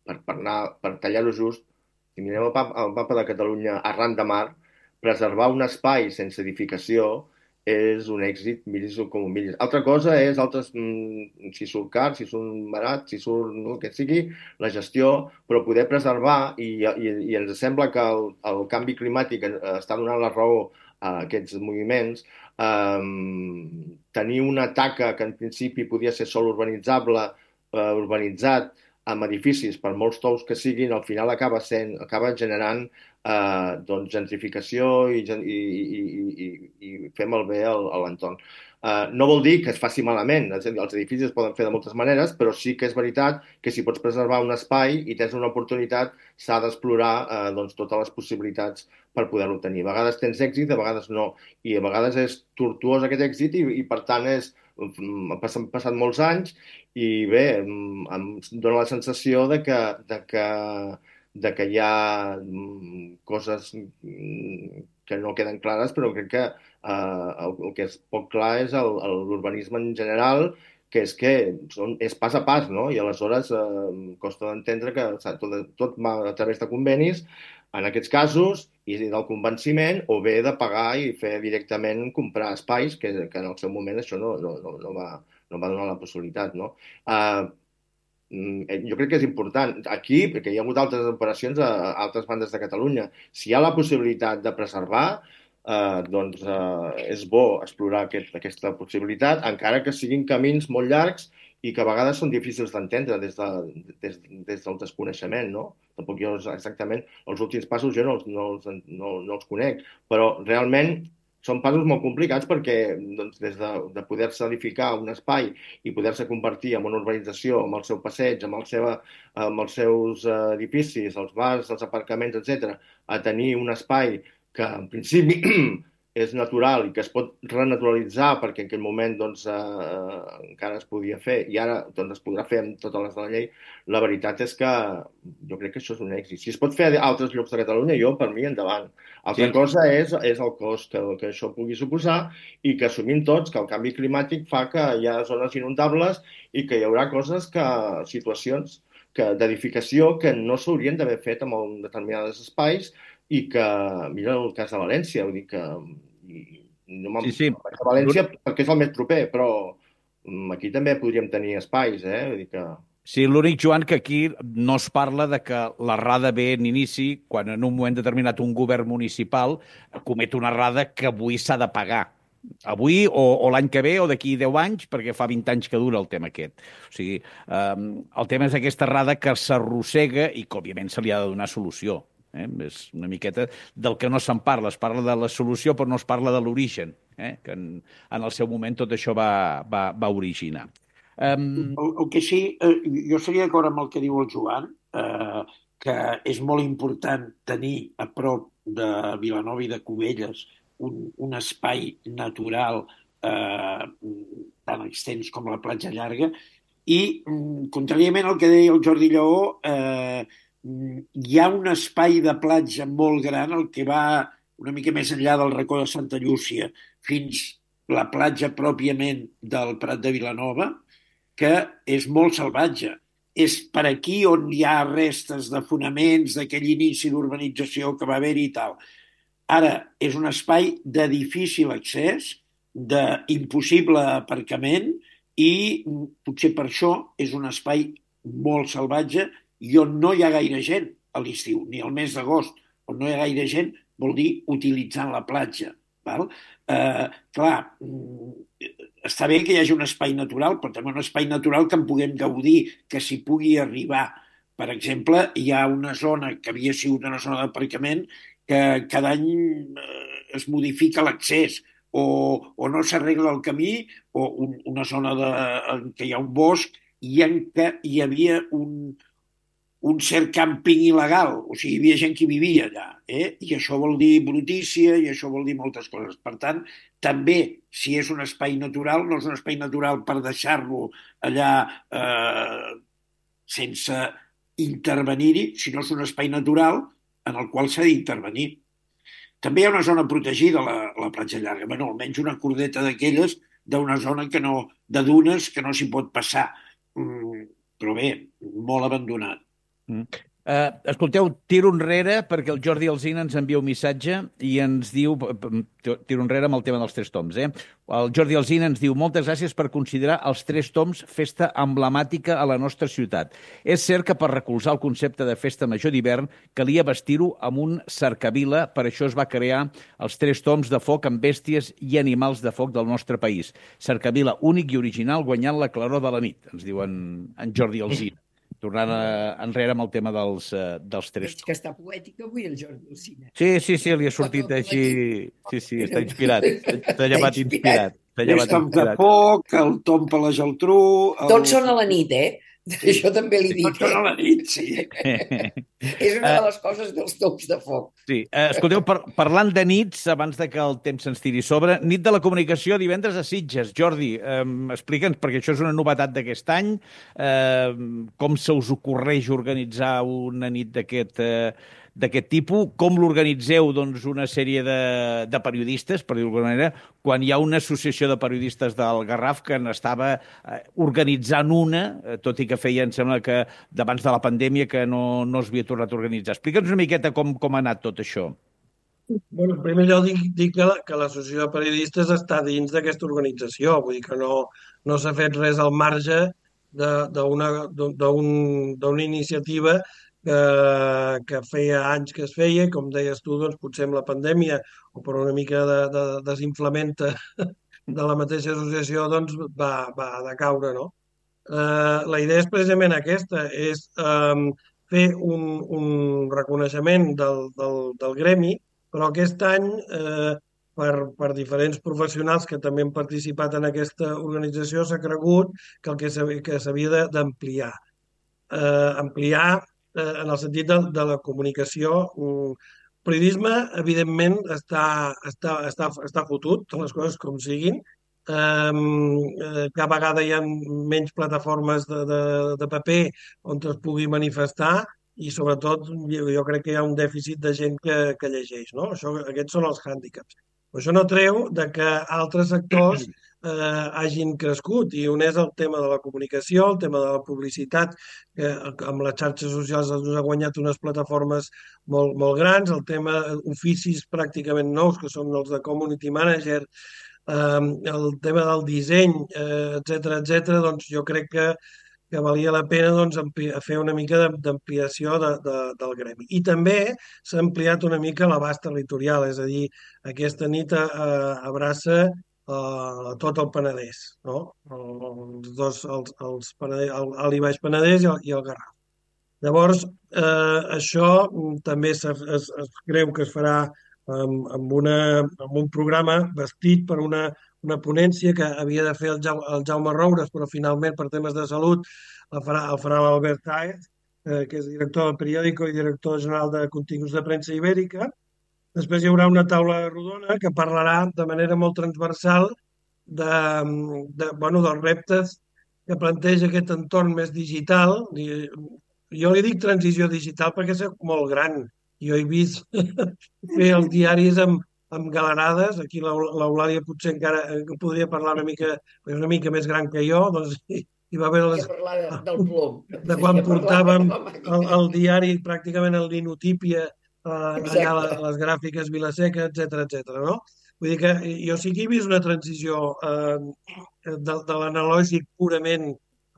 per, per, anar, per tallar-ho just, si mirem el, pa- el mapa de Catalunya arran de mar, preservar un espai sense edificació és un èxit, miris-ho com ho miris. Altra cosa és, altres, mm, si surt car, si surt barat, si surt no, el que sigui, la gestió, però poder preservar, i, i, i ens sembla que el, el canvi climàtic eh, està donant la raó a aquests moviments, um, tenir una taca que en principi podia ser sol urbanitzable, uh, urbanitzat, amb edificis, per molts tous que siguin, al final acaba sent, acaba generant eh, doncs, gentrificació i, i, i, i, i fer malbé a l'entorn. Uh, no vol dir que es faci malament, és a dir, els edificis es poden fer de moltes maneres, però sí que és veritat que si pots preservar un espai i tens una oportunitat, s'ha d'explorar uh, doncs, totes les possibilitats per poder-ho tenir. A vegades tens èxit, a vegades no, i a vegades és tortuós aquest èxit i, i per tant és, han passat, passat molts anys i bé, em, em dóna la sensació de que, de que, de que hi ha coses que no queden clares, però crec que Uh, el, el que és poc clar és l'urbanisme en general, que és que són, és pas a pas, no? I aleshores uh, costa d'entendre que tot, tot va a través de convenis, en aquests casos, i del convenciment, o bé de pagar i fer directament comprar espais, que, que en el seu moment això no, no, no, no, va, no va donar la possibilitat, no? Uh, jo crec que és important. Aquí, perquè hi ha hagut altres operacions a altres bandes de Catalunya, si hi ha la possibilitat de preservar, Uh, doncs uh, és bo explorar aquest, aquesta possibilitat, encara que siguin camins molt llargs i que a vegades són difícils d'entendre des, de, des, des del desconeixement, no? Tampoc jo exactament, els últims passos jo no, no, no, no els conec, però realment són passos molt complicats perquè doncs, des de, de poder-se edificar un espai i poder-se convertir en una urbanització, amb el seu passeig, amb, el seva, amb els seus uh, edificis, els bars, els aparcaments, etcètera, a tenir un espai que en principi és natural i que es pot renaturalitzar perquè en aquell moment doncs, eh, encara es podia fer i ara doncs, es podrà fer amb totes les de la llei, la veritat és que jo crec que això és un èxit. Si es pot fer a altres llocs de Catalunya, jo, per mi, endavant. Altra sí. cosa és, és el cost que, que això pugui suposar i que assumim tots que el canvi climàtic fa que hi ha zones inundables i que hi haurà coses que, situacions que, d'edificació que no s'haurien d'haver fet en determinats espais i que, mira el cas de València, vull dir que i, no me'n sí, sí. vaig a València perquè és el més proper, però aquí també podríem tenir espais, eh? Vull dir que... Sí, l'únic, Joan, que aquí no es parla de que l'errada ve en inici quan en un moment determinat un govern municipal comet una errada que avui s'ha de pagar. Avui o, o l'any que ve o d'aquí deu anys, perquè fa vint anys que dura el tema aquest. O sigui, eh, el tema és aquesta errada que s'arrossega i que, òbviament, se li ha de donar solució. Eh? És una miqueta del que no se'n parla. Es parla de la solució, però no es parla de l'origen, eh? Que en, en el seu moment tot això va, va, va originar. Um... El, el que sí, eh, jo seria d'acord amb el que diu el Joan, eh, que és molt important tenir a prop de Vilanova i de Cubelles un, un espai natural eh, tan extens com la Platja Llarga i, contràriament al que deia el Jordi Lleó, eh, hi ha un espai de platja molt gran, el que va una mica més enllà del racó de Santa Llúcia fins la platja pròpiament del Prat de Vilanova, que és molt salvatge. És per aquí on hi ha restes de fonaments d'aquell inici d'urbanització que va haver-hi i tal. Ara, és un espai de difícil accés, d'impossible aparcament i potser per això és un espai molt salvatge i on no hi ha gaire gent a l'estiu, ni al mes d'agost, on no hi ha gaire gent, vol dir utilitzant la platja. Val? Eh, clar, està bé que hi hagi un espai natural, però també un espai natural que en puguem gaudir, que s'hi pugui arribar. Per exemple, hi ha una zona que havia sigut una zona d'aparcament que cada any es modifica l'accés o, o no s'arregla el camí o un, una zona de, en què hi ha un bosc i en què hi havia un un cert càmping il·legal, o sigui, hi havia gent que vivia allà, eh? I això vol dir brutícia i això vol dir moltes coses. Per tant, també, si és un espai natural, no és un espai natural per deixar-lo allà eh, sense intervenir-hi, sinó és un espai natural en el qual s'ha d'intervenir. També hi ha una zona protegida, la, la Platja Llarga, bueno, almenys una cordeta d'aquelles d'una zona que no, de dunes que no s'hi pot passar. Mm, però bé, molt abandonat. Mm. Uh, escolteu, tiro enrere perquè el Jordi Alsina ens envia un missatge i ens diu, tiro enrere amb el tema dels tres toms, eh? El Jordi Alsina ens diu: moltes gràcies per considerar els tres toms festa emblemàtica a la nostra ciutat. És cert que per recolzar el concepte de festa major d'hivern calia vestir-ho amb un cercavila, per això es va crear els tres toms de foc amb bèsties i animals de foc del nostre país. Cercavila únic i original guanyant la claror de la nit, ens diu en, en Jordi Alsina. tornant a, enrere amb el tema dels, uh, dels tres. Veig que està poètic avui el Jordi Alsina. Sí, sí, sí, li ha sortit així... Sí, sí, està inspirat. T'ha llevat inspirat. T'ha Les llevat toms de inspirat. foc, el tom per la Geltrú... El... Tots són a la nit, eh? Sí. Això també l'he dit. Tots són a la nit, sí. És una de les coses dels toms de foc. Sí, eh, escolteu, par parlant de nits, abans de que el temps se'ns tiri sobre, nit de la comunicació divendres a Sitges. Jordi, eh, explica'ns, perquè això és una novetat d'aquest any, eh, com se us ocorreix organitzar una nit d'aquest eh, d'aquest tipus, com l'organitzeu doncs, una sèrie de, de periodistes, per dir-ho d'alguna manera, quan hi ha una associació de periodistes del Garraf que n'estava eh, organitzant una, eh, tot i que feia, em sembla que d'abans de la pandèmia, que no, no es havia tornat a organitzar. Explica'ns una miqueta com, com ha anat tot això. Bueno, en primer lloc dic, dic que, la- que l'associació de periodistes està dins d'aquesta organització, vull dir que no, no s'ha fet res al marge de- d'una d'un- d'una iniciativa que, que feia anys que es feia, i com deies tu, doncs, potser amb la pandèmia o per una mica de, de desinflamenta de la mateixa associació doncs, va, va decaure, no? Eh, la idea és precisament aquesta, és eh, fer un, un reconeixement del, del, del gremi, però aquest any, eh, per, per diferents professionals que també han participat en aquesta organització, s'ha cregut que el que s'havia que s'havia d'ampliar. Eh, ampliar eh, en el sentit de, de la comunicació. El periodisme, evidentment, està, està, està, està fotut, les coses com siguin. Um, eh, cada vegada hi ha menys plataformes de, de, de paper on es pugui manifestar i sobretot jo, jo crec que hi ha un dèficit de gent que, que llegeix, no? Això, aquests són els hàndicaps. Però això no treu de que altres sectors eh, hagin crescut, i un és el tema de la comunicació, el tema de la publicitat, que amb les xarxes socials ens ha guanyat unes plataformes molt, molt grans, el tema oficis pràcticament nous, que són els de community manager, eh, el tema del disseny, eh, etcètera, etcètera, doncs jo crec que que valia la pena doncs, fer una mica d'ampliació de, de, del gremi. I també s'ha ampliat una mica l'abast territorial, és a dir, aquesta nit eh, abraça eh, tot el Penedès, no? Els dos, els, els Penedès, el, el Baix Penedès i el, i el Garraf. Llavors, eh, això també es, es, es creu que es farà amb, amb, una, amb un programa vestit per una una ponència que havia de fer el, ja, el Jaume Roures, però finalment per temes de salut el farà, el farà l'Albert Taez, eh, que és director del periòdico i director general de continguts de premsa ibèrica. Després hi haurà una taula rodona que parlarà de manera molt transversal de, de, bueno, dels reptes que planteja aquest entorn més digital. Jo li dic transició digital perquè és molt gran. Jo he vist fer els diaris amb amb galerades, aquí l'Eulàlia potser encara podria parlar una mica, una mica més gran que jo, doncs hi, hi va haver les, del plom. de quan portàvem el, el diari pràcticament el linotípia, eh, allà les, les gràfiques Vilaseca, etcètera, etcètera, no? Vull dir que jo sí que he vist una transició eh, de, de l'analògic purament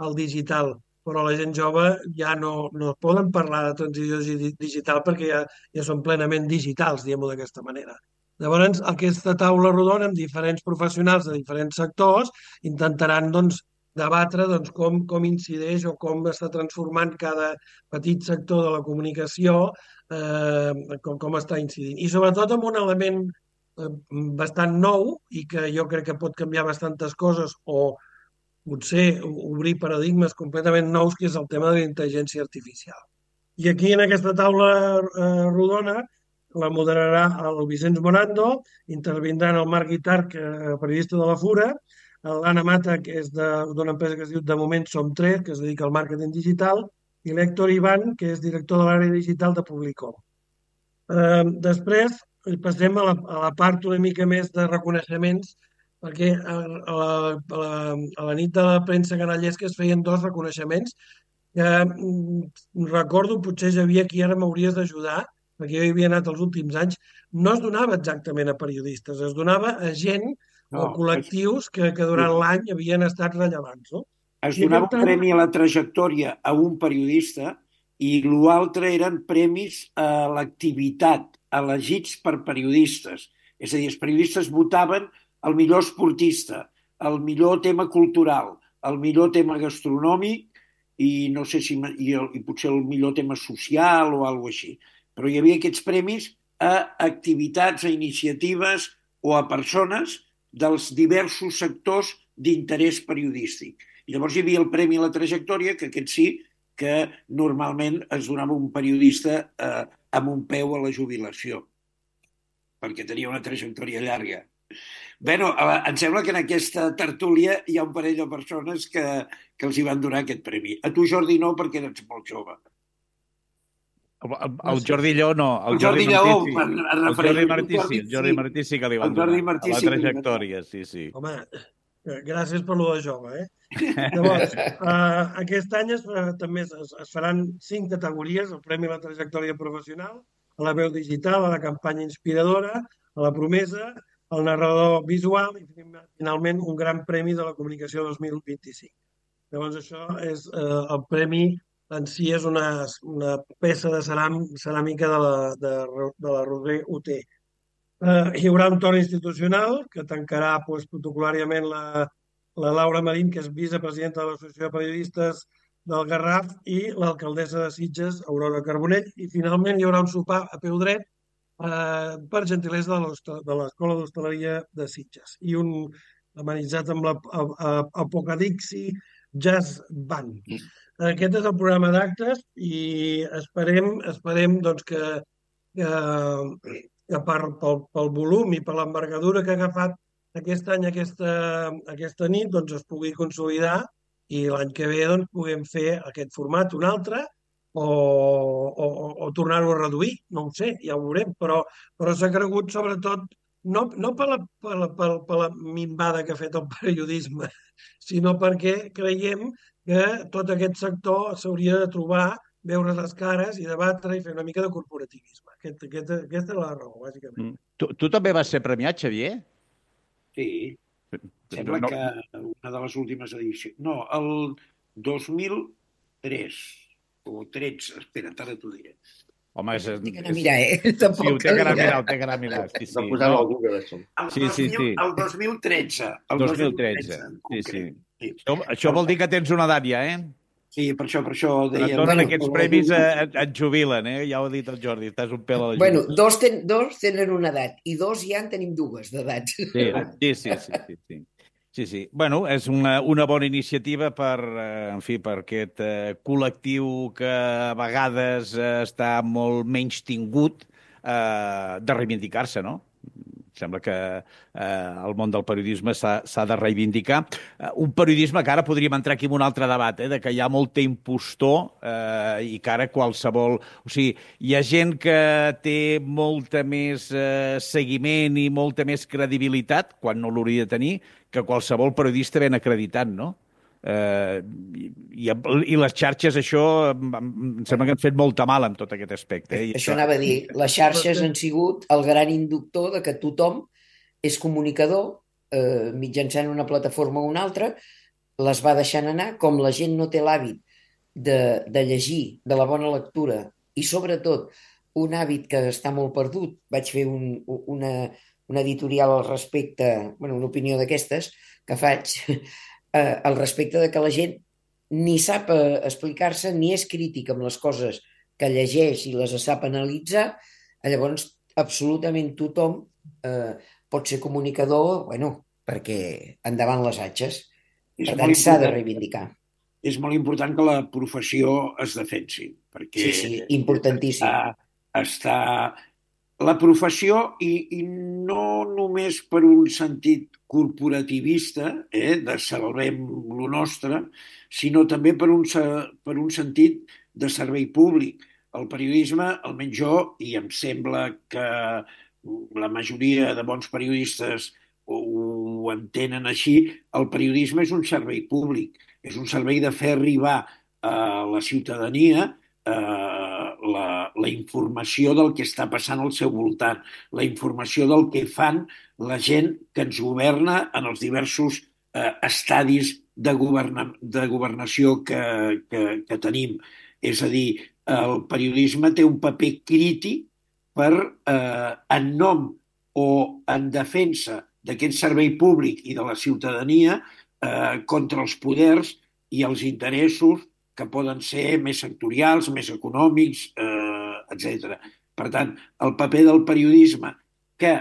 al digital, però la gent jove ja no, no poden parlar de transició digital perquè ja, ja són plenament digitals, diguem-ho d'aquesta manera. Llavors, aquesta taula rodona amb diferents professionals de diferents sectors intentaran doncs, debatre doncs, com, com incideix o com està transformant cada petit sector de la comunicació, eh, com, com està incidint. I sobretot amb un element eh, bastant nou i que jo crec que pot canviar bastantes coses o potser obrir paradigmes completament nous, que és el tema de la intel·ligència artificial. I aquí en aquesta taula eh, rodona la moderarà el Vicenç Morando, intervindran el Marc Guitarc, eh, periodista de la Fura, l'Anna Mata, que és d'una empresa que es diu De Moment Som Tres, que es dedica al màrqueting digital, i l'Héctor Ivan, que és director de l'àrea digital de Publicom. Eh, després passem a la, a la part una mica més de reconeixements, perquè a, a, la, a, la, a la nit de la premsa canallesca es feien dos reconeixements que mm, recordo, potser Xavier, aquí ara m'hauries d'ajudar, perquè jo hi havia anat els últims anys, no es donava exactament a periodistes, es donava a gent no, o col·lectius que, que durant l'any havien estat rellevants. No? Es donava un premi a la trajectòria a un periodista i l'altre eren premis a l'activitat, elegits per periodistes. És a dir, els periodistes votaven el millor esportista, el millor tema cultural, el millor tema gastronòmic i no sé si i, el, i potser el millor tema social o alguna així. Però hi havia aquests premis a activitats, a iniciatives o a persones dels diversos sectors d'interès periodístic. I llavors hi havia el Premi a la Trajectòria, que aquest sí, que normalment es donava un periodista eh, amb un peu a la jubilació, perquè tenia una trajectòria llarga. Bé, no, em sembla que en aquesta tertúlia hi ha un parell de persones que, que els hi van donar aquest premi. A tu, Jordi, no, perquè eres molt jove. El, el, el Jordi Lleó no, el, el Jordi, Jordi Lleó, Martí, sí. el Jordi Martí sí, el Jordi Martí sí que li van donar, a la trajectòria, sí, sí. Home, gràcies per lo de jove, eh? Llavors, uh, aquest any es, uh, també es, es faran cinc categories, el Premi a la Trajectòria Professional, a la veu digital, a la campanya inspiradora, a la promesa, al narrador visual i finalment un gran premi de la comunicació dos mil vint-i-cinc. Llavors això és uh, el premi en si és una, una peça de ceram, ceràmica de la, de, de la Roser U T. Uh, hi haurà un torn institucional que tancarà pues, protocolàriament la, la Laura Marín, que és vicepresidenta de l'Associació de Periodistes del Garraf, i l'alcaldessa de Sitges, Aurora Carbonell, i finalment hi haurà un sopar a peu dret eh, per gentilesa de l'Escola d'Hostaleria de Sitges i un amenitzat amb l'Apocadixi Jazz Band. Aquest és el programa d'actes i esperem, esperem doncs, que, que, que per, pel, pel volum i per l'envergadura que ha agafat aquest any, aquesta, aquesta nit, doncs es pugui consolidar i l'any que ve doncs, puguem fer aquest format, un altre, o, o, o tornar-ho a reduir, no ho sé, ja ho veurem, però, però s'ha cregut sobretot no, no per, la, per, la, per, per la minvada que ha fet el periodisme, sinó perquè creiem que tot aquest sector s'hauria de trobar, veure les cares i debatre i fer una mica de corporativisme. Aquest, aquest, aquesta és la raó, bàsicament. Mm. Tu, tu també vas ser premiat, Xavier? Sí. Sembla no, no. que una de les últimes edicions... No, el dos mil tres o tretze, espera't, ara t'ho diré. Home, és... Ho té que anar a mirar, eh? Tampoc sí, ho té que anar a mirar, ho té que anar a mirar. Sí, sí. No. Google, això. El, sí, sí, sí. El dos mil tretze. El dos mil tretze, sí, sí. Sí. Això, això vol dir que tens una edat ja, eh? Sí, per això, per això deia... Et donen bueno, aquests premis, et, et jubilen, eh? Ja ho ha dit el Jordi, estàs un pèl a la Bueno, dos, ten, dos tenen una edat i dos ja en tenim dues d'edats. Sí, sí, sí, sí, sí, sí. Sí, sí. Bueno, és una, una bona iniciativa per, eh, en fi, per aquest eh, col·lectiu que a vegades eh, està molt menys tingut eh, de reivindicar-se, no? Sembla que eh, el món del periodisme s'ha de reivindicar. Eh, un periodisme que ara podríem entrar aquí en un altre debat, eh, de que hi ha molta impostor eh, i que ara qualsevol... O sigui, hi ha gent que té molta més eh, seguiment i molta més credibilitat, quan no l'hauria de tenir, que qualsevol periodista ben acreditat, no? Eh, i, i les xarxes, això, em sembla que han fet molta mal en tot aquest aspecte. Eh? Això anava a dir, les xarxes han sigut el gran inductor de que tothom és comunicador eh, mitjançant una plataforma o una altra, les va deixant anar, com la gent no té l'hàbit de, de llegir, de la bona lectura, i sobretot un hàbit que està molt perdut. Vaig fer un, una, una editorial al respecte, bueno, una opinió d'aquestes que faig, Eh, al respecte de que la gent ni sap eh, explicar-se ni és crític amb les coses que llegeix i les sap analitzar, llavors absolutament tothom eh, pot ser comunicador, bueno, perquè endavant les atxes. Per tant, s'ha de reivindicar. És molt important que la professió es defensi, perquè sí, sí, importantíssim. Està, està la professió i, i no només per un sentit corporativista, eh, de salvem lo nostre, sinó també per un, per un sentit de servei públic. El periodisme, almenys jo, i em sembla que la majoria de bons periodistes ho entenen així, el periodisme és un servei públic, és un servei de fer arribar a la ciutadania eh, la, la informació del que està passant al seu voltant, la informació del que fan la gent que ens governa en els diversos eh, estadis de, governa, de governació que, que, que tenim. És a dir, el periodisme té un paper crític per, eh, en nom o en defensa d'aquest servei públic i de la ciutadania eh, contra els poders i els interessos que poden ser més sectorials, més econòmics, eh, etcètera. Per tant, el paper del periodisme, que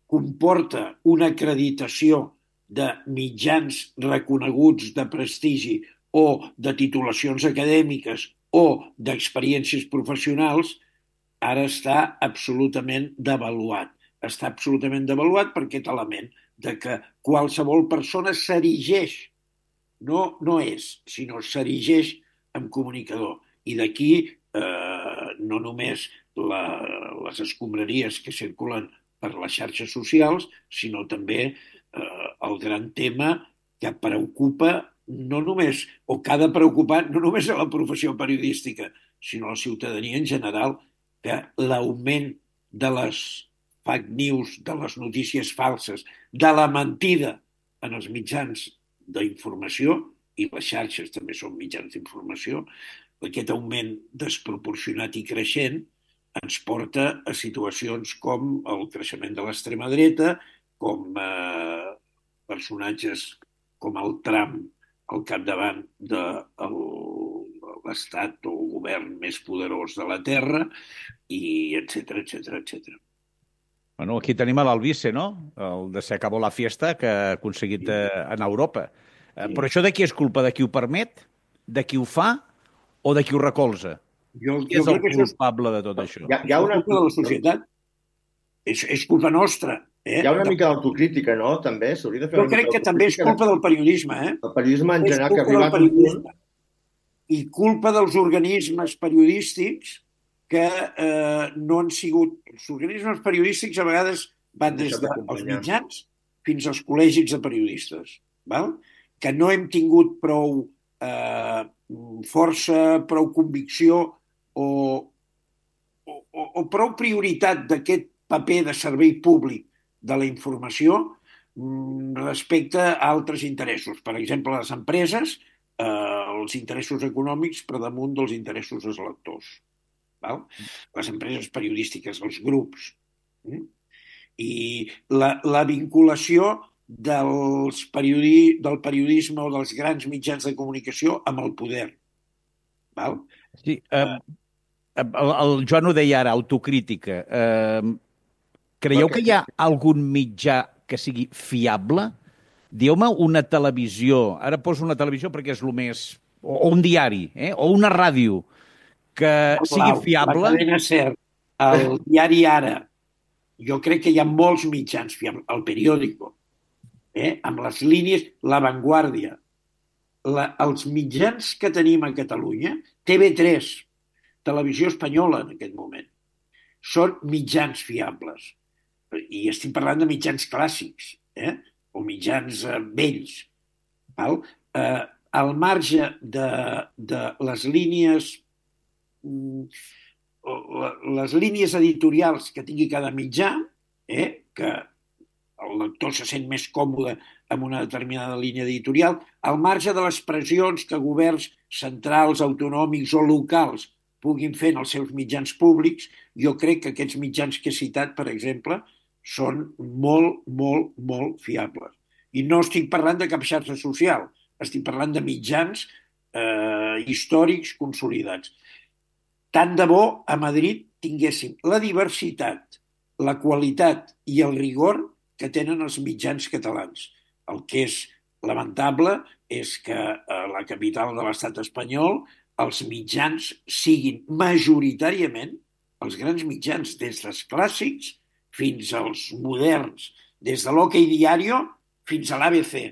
comporta una acreditació de mitjans reconeguts de prestigi o de titulacions acadèmiques o d'experiències professionals, ara està absolutament devaluat. Està absolutament devaluat per aquest element de que qualsevol persona s'erigeix, no, no és, sinó s'erigeix en comunicador. I d'aquí eh, no només la, les escombraries que circulen per les xarxes socials, sinó també eh, el gran tema que preocupa no només, o que ha de preocupar no només a la professió periodística, sinó a la ciutadania en general, que l'augment de les fake news, de les notícies falses, de la mentida en els mitjans d'informació, i les xarxes també són mitjans d'informació, aquest augment desproporcionat i creixent ens porta a situacions com el creixement de l'extrema dreta, com eh, personatges com el Trump al capdavant de l'estat o el govern més poderós de la Terra, i etcètera, etcètera, etcètera. Bueno, aquí tenim a l'Albice, no? El de Se acabó la fiesta que ha aconseguit eh, en Europa. Eh, però això de qui és culpa? De qui ho permet? De qui ho fa? O de qui ho recolza? Jo, Qui jo és el crec que això és culpable de tot això? Hi ha, hi ha una, culpa de la societat. És, és culpa nostra. Eh? hi ha una mica d'autocrítica, no? També s'hauria de fer Jo una crec mica que també és culpa del periodisme. Eh? El periodisme en És general, que ha culpa del arribat a un punt... periodisme. I culpa dels organismes periodístics que eh, no han sigut... Els organismes periodístics a vegades van des Deixat dels d'acompanyar. mitjans fins als col·legis de periodistes, val? Que no hem tingut prou eh, força, prou convicció o, o, o prou prioritat d'aquest paper de servei públic de la informació respecte a altres interessos. Per exemple, les empreses, eh, els interessos econòmics per damunt dels interessos dels lectors. Val? Les empreses periodístiques, els grups. Mm? I la, la vinculació dels periodi, del periodisme o dels grans mitjans de comunicació amb el poder. Val? Sí, eh, el, el Joan ho deia ara, autocrítica. Eh, creieu que hi ha algun mitjà que sigui fiable? Dieu-me una televisió, ara poso una televisió perquè és el més... O, o un diari, eh? O una ràdio, que sigui fiable. La cadena SER, el diari Ara, jo crec que hi ha molts mitjans fiables, el periòdico, eh? Amb les línies, La Vanguardia, la, els mitjans que tenim a Catalunya, T V tres, Televisió Espanyola en aquest moment, són mitjans fiables. I estic parlant de mitjans clàssics, eh? O mitjans eh, vells. Val? Eh, al marge de, de les línies les línies editorials que tingui cada mitjà, eh? Que el lector se sent més còmode amb una determinada línia editorial, al marge de les pressions que governs centrals, autonòmics o locals puguin fer en els seus mitjans públics, jo crec que aquests mitjans que he citat, per exemple, són molt, molt, molt fiables. I no estic parlant de cap xarxa social, estic parlant de mitjans eh, històrics consolidats. Tant de bo a Madrid tinguéssim la diversitat, la qualitat i el rigor que tenen els mitjans catalans. El que és lamentable és que a la capital de l'estat espanyol els mitjans siguin majoritàriament, els grans mitjans, des dels clàssics fins als moderns, des de l'Ok Diario fins a l'A B C,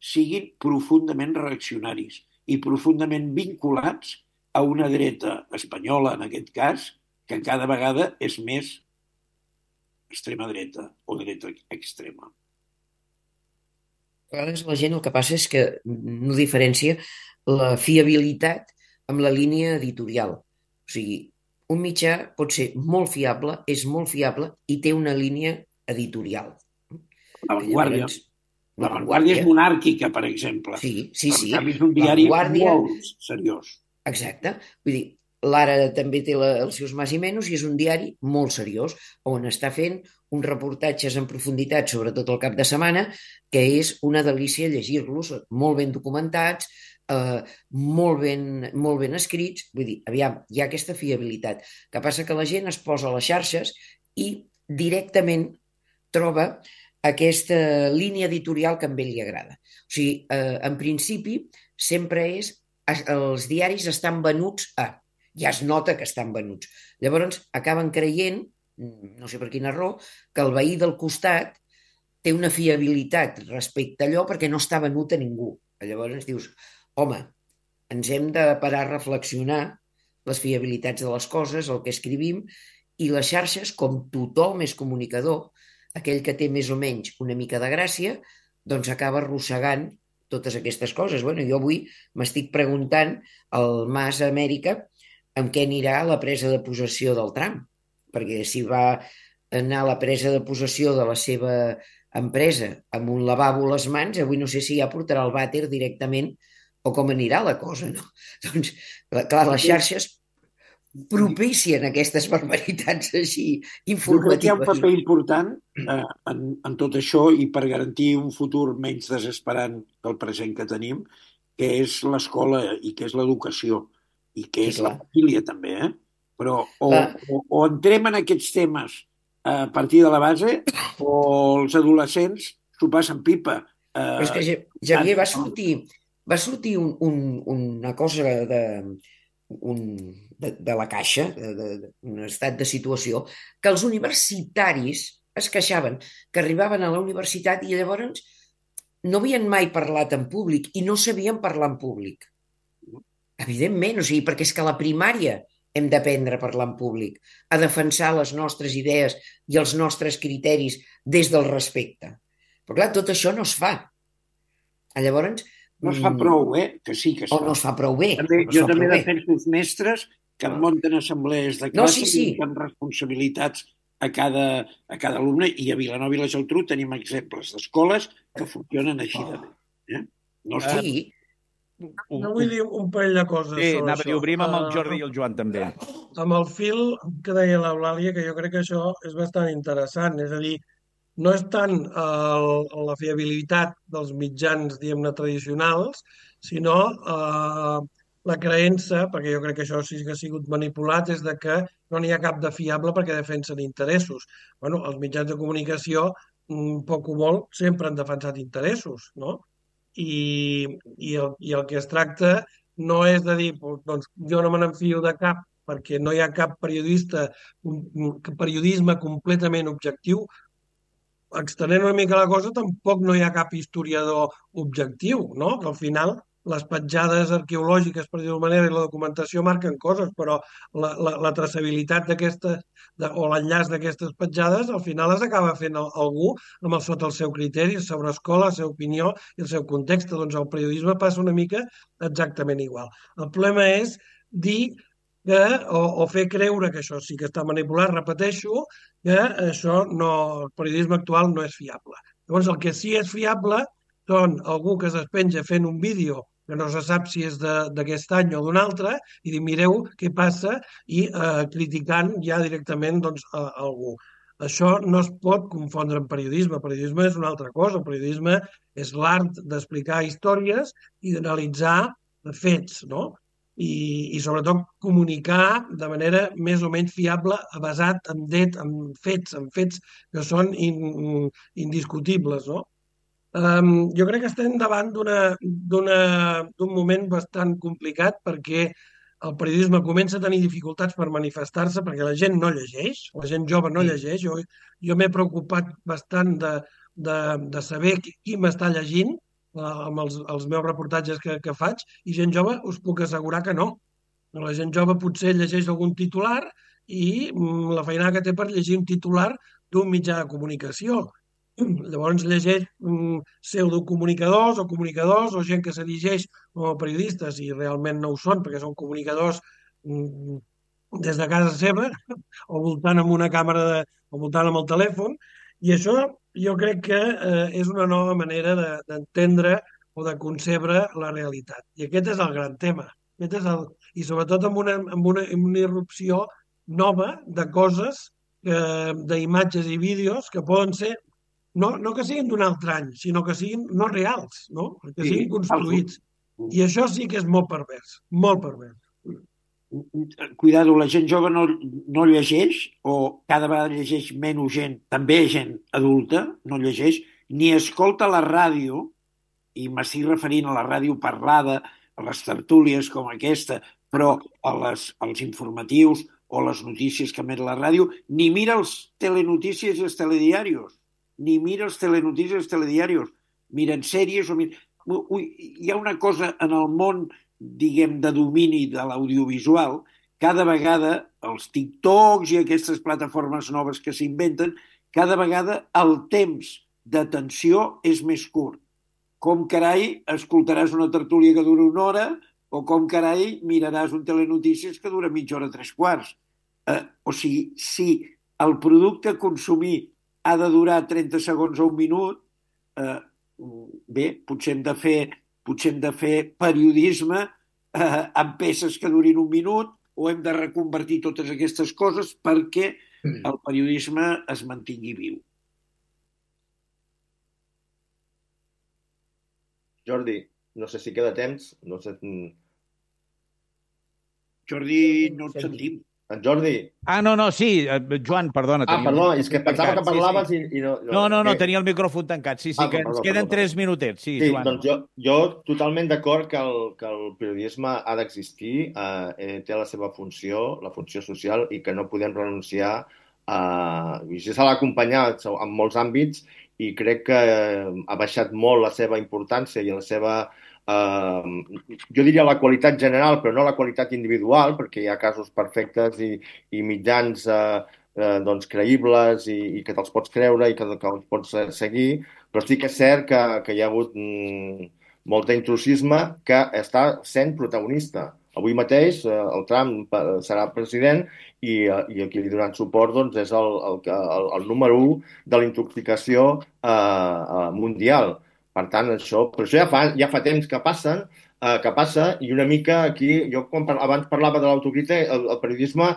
siguin profundament reaccionaris i profundament vinculats a una dreta espanyola, en aquest cas, que cada vegada és més extrema dreta o dreta extrema. A vegades la gent el que passa és que no diferencia la fiabilitat amb la línia editorial. O sigui, un mitjà pot ser molt fiable, és molt fiable i té una línia editorial. La Vanguardia. Llavors, La Vanguardia és monàrquica, per exemple. Sí, sí, sí. En canvi, és un diari Vanguardia... molt seriós. Exacte. Vull dir, l'Ara també té la, els seus más i menys i és un diari molt seriós on està fent uns reportatges en profunditat, sobretot el cap de setmana, que és una delícia llegir-los, molt ben documentats, eh, molt ben, molt ben escrits. Vull dir, aviam, hi ha aquesta fiabilitat. Que passa que la gent es posa a les xarxes i directament troba aquesta línia editorial que a ell li agrada. O sigui, eh, en principi, sempre és els diaris estan venuts a... Ja es nota que estan venuts. Llavors, acaben creient, no sé per quina raó, que el veí del costat té una fiabilitat respecte a allò perquè no està venut a ningú. Llavors dius, home, ens hem de parar a reflexionar les fiabilitats de les coses, el que escrivim, i les xarxes, com tothom és comunicador, aquell que té més o menys una mica de gràcia, doncs acaba arrossegant totes aquestes coses. Bueno, jo avui m'estic preguntant al Mas Amèrica amb què anirà la presa de possessió del Trump, perquè si va anar a la presa de possessió de la seva empresa amb un lavabo a les mans, avui no sé si ja portarà el vàter directament o com anirà la cosa, no? Doncs, clar, les xarxes propicien aquestes barbaritats així informatives. Hi ha un paper important eh, en, en tot això i per garantir un futur menys desesperant que el present que tenim, que és l'escola i que és l'educació i que Sí, és clar. la família també, eh? Però o, Clar. o, o entrem en aquests temes a partir de la base o els adolescents s'ho passen pipa. Eh, Però és que, Ja- Xavier, va sortir, va sortir un, un, una cosa de, un, de, de la caixa, de, de, de, un estat de situació, que els universitaris es queixaven, que arribaven a la universitat i llavors no havien mai parlat en públic i no sabien parlar en públic. Evidentment, o sigui, perquè és que a la primària hem d'aprendre a parlar en públic, a defensar les nostres idees i els nostres criteris des del respecte. Però clar, tot això no es fa. Llavors... no es fa prou, eh? Que sí que es O fa. no es fa prou bé. També, no es jo fa també prou bé. defenso els mestres que munten assemblees de No, classe sí, sí. i donen responsabilitats a cada, a cada alumne, i a Vilanova i la Geltrú tenim exemples d'escoles que funcionen així de bé. Eh? No es fa. Sí, No vull dir un parell de coses Sí, sobre anava a això. dir, obrim amb el Eh, Jordi i el Joan també. amb el fil que deia l'Eulàlia, que jo crec que això és bastant interessant. És a dir, no és tant el, la fiabilitat dels mitjans, diguem-ne, tradicionals, sinó eh, la creença, perquè jo crec que això sí que ha sigut manipulat, és de que no n'hi ha cap de fiable perquè defensen interessos. Bueno, els mitjans de comunicació, mm, poc o molt, sempre han defensat interessos, no? I, i, el, i el que es tracta no és de dir, doncs, jo no me n'enfio de cap perquè no hi ha cap periodista, un, un periodisme completament objectiu. Extenent una mica la cosa, tampoc no hi ha cap historiador objectiu, no? Que al final les petjades arqueològiques, per dir-ho manera, i la documentació marquen coses, però la, la, la traçabilitat d'aquesta de, o l'enllaç d'aquestes petjades al final les acaba fent el, algú amb el, sota el seu criteri, sobre escola, la seva opinió i el seu context. Doncs el periodisme passa una mica exactament igual. El problema és dir que, o, o fer creure que això sí que està manipulat, repeteixo, que això no, el periodisme actual no és fiable. Llavors, el que sí és fiable són algú que es despenja fent un vídeo que no se sap si és d'aquest any o d'un altre, i dir, mireu què passa, i eh, criticant ja directament doncs, a, a algú. Això no es pot confondre amb periodisme. El periodisme és una altra cosa. El periodisme és l'art d'explicar històries i d'analitzar fets, no? I, i sobretot comunicar de manera més o menys fiable, basat en, det, en fets, en fets que són in, indiscutibles, no? Um, jo crec que estem davant d'un moment bastant complicat perquè el periodisme comença a tenir dificultats per manifestar-se perquè la gent no llegeix, la gent jove no llegeix. Jo, jo m'he preocupat bastant de, de, de saber qui, qui m'està llegint uh, amb els, els meus reportatges que, que faig, i gent jove us puc assegurar que no. La gent jove potser llegeix algun titular i mm, la feinada que té per llegir un titular d'un mitjà de comunicació. Llavors llegeix mm, pseudocomunicadors o comunicadors o gent que s'erigeix com a periodistes i realment no ho són perquè són comunicadors mm, des de casa seva o voltant amb una càmera de, o voltant amb el telèfon, i això jo crec que eh, és una nova manera d'entendre de, o de concebre la realitat. I aquest és el gran tema. Aquest és el, I sobretot amb una, amb una, amb una irrupció nova de coses, eh, d'imatges i vídeos que poden ser No, no que siguin d'un altre any, sinó que siguin no reals, no? Que Sí, siguin construïts. I això sí que és molt pervers, molt pervers. Cuidado, la gent jove no, no llegeix, o cada vegada llegeix menys gent, també gent adulta, no llegeix, ni escolta la ràdio, i m'estic referint a la ràdio parlada, a les tertúlies com aquesta, però a les, als informatius o les notícies que emet la ràdio, ni mira els telenotícies i els telediarios, ni mira els telenotícies i els telediarios, miren sèries o miren... Ui, hi ha una cosa en el món, diguem, de domini de l'audiovisual, cada vegada els TikToks i aquestes plataformes noves que s'inventen, cada vegada el temps d'atenció és més curt. Com carai escoltaràs una tertúlia que dura una hora o com carai miraràs un telenotícies que dura mitja hora, tres quarts. Eh, o sigui, si el producte a consumir ha de durar trenta segons o un minut, eh, bé, potser hem de fer, potser hem de fer periodisme eh, amb peces que durin un minut o hem de reconvertir totes aquestes coses perquè el periodisme es mantingui viu. Jordi, no sé si queda temps. No sé... Jordi, no et sentim. En Jordi. Ah, no, no, sí, Joan, perdona. Ah, perdó, és que pensava que parlaves sí, sí. i, i no... No, no, no, tenia el micròfon tancat. Sí, sí, ah, que perdó, ens queden perdó, tres perdó. minutets. Sí, sí Joan. doncs jo, jo totalment d'acord que, el, que el periodisme ha d'existir, eh, té la seva funció, la funció social, i que no podem renunciar a... I ja se l'ha acompanyat en molts àmbits i crec que ha baixat molt la seva importància i la seva... Uh, jo diria la qualitat general, però no la qualitat individual, perquè hi ha casos perfectes i, i mitjans uh, uh, doncs, creïbles i, i que te'ls pots creure i que, que els pots seguir, però sí que és cert que, que hi ha hagut mm, molt d'intrusisme que està sent protagonista. Avui mateix uh, el Trump serà president i, uh, i el que li donen suport doncs, és el, el, el, el número u de la intoxicació uh, uh, mundial. Per tant, això, però això ja fa, ja fa temps que passen, eh, que passa, i una mica aquí, jo quan par abans parlava de l'autocrítica, el, el periodisme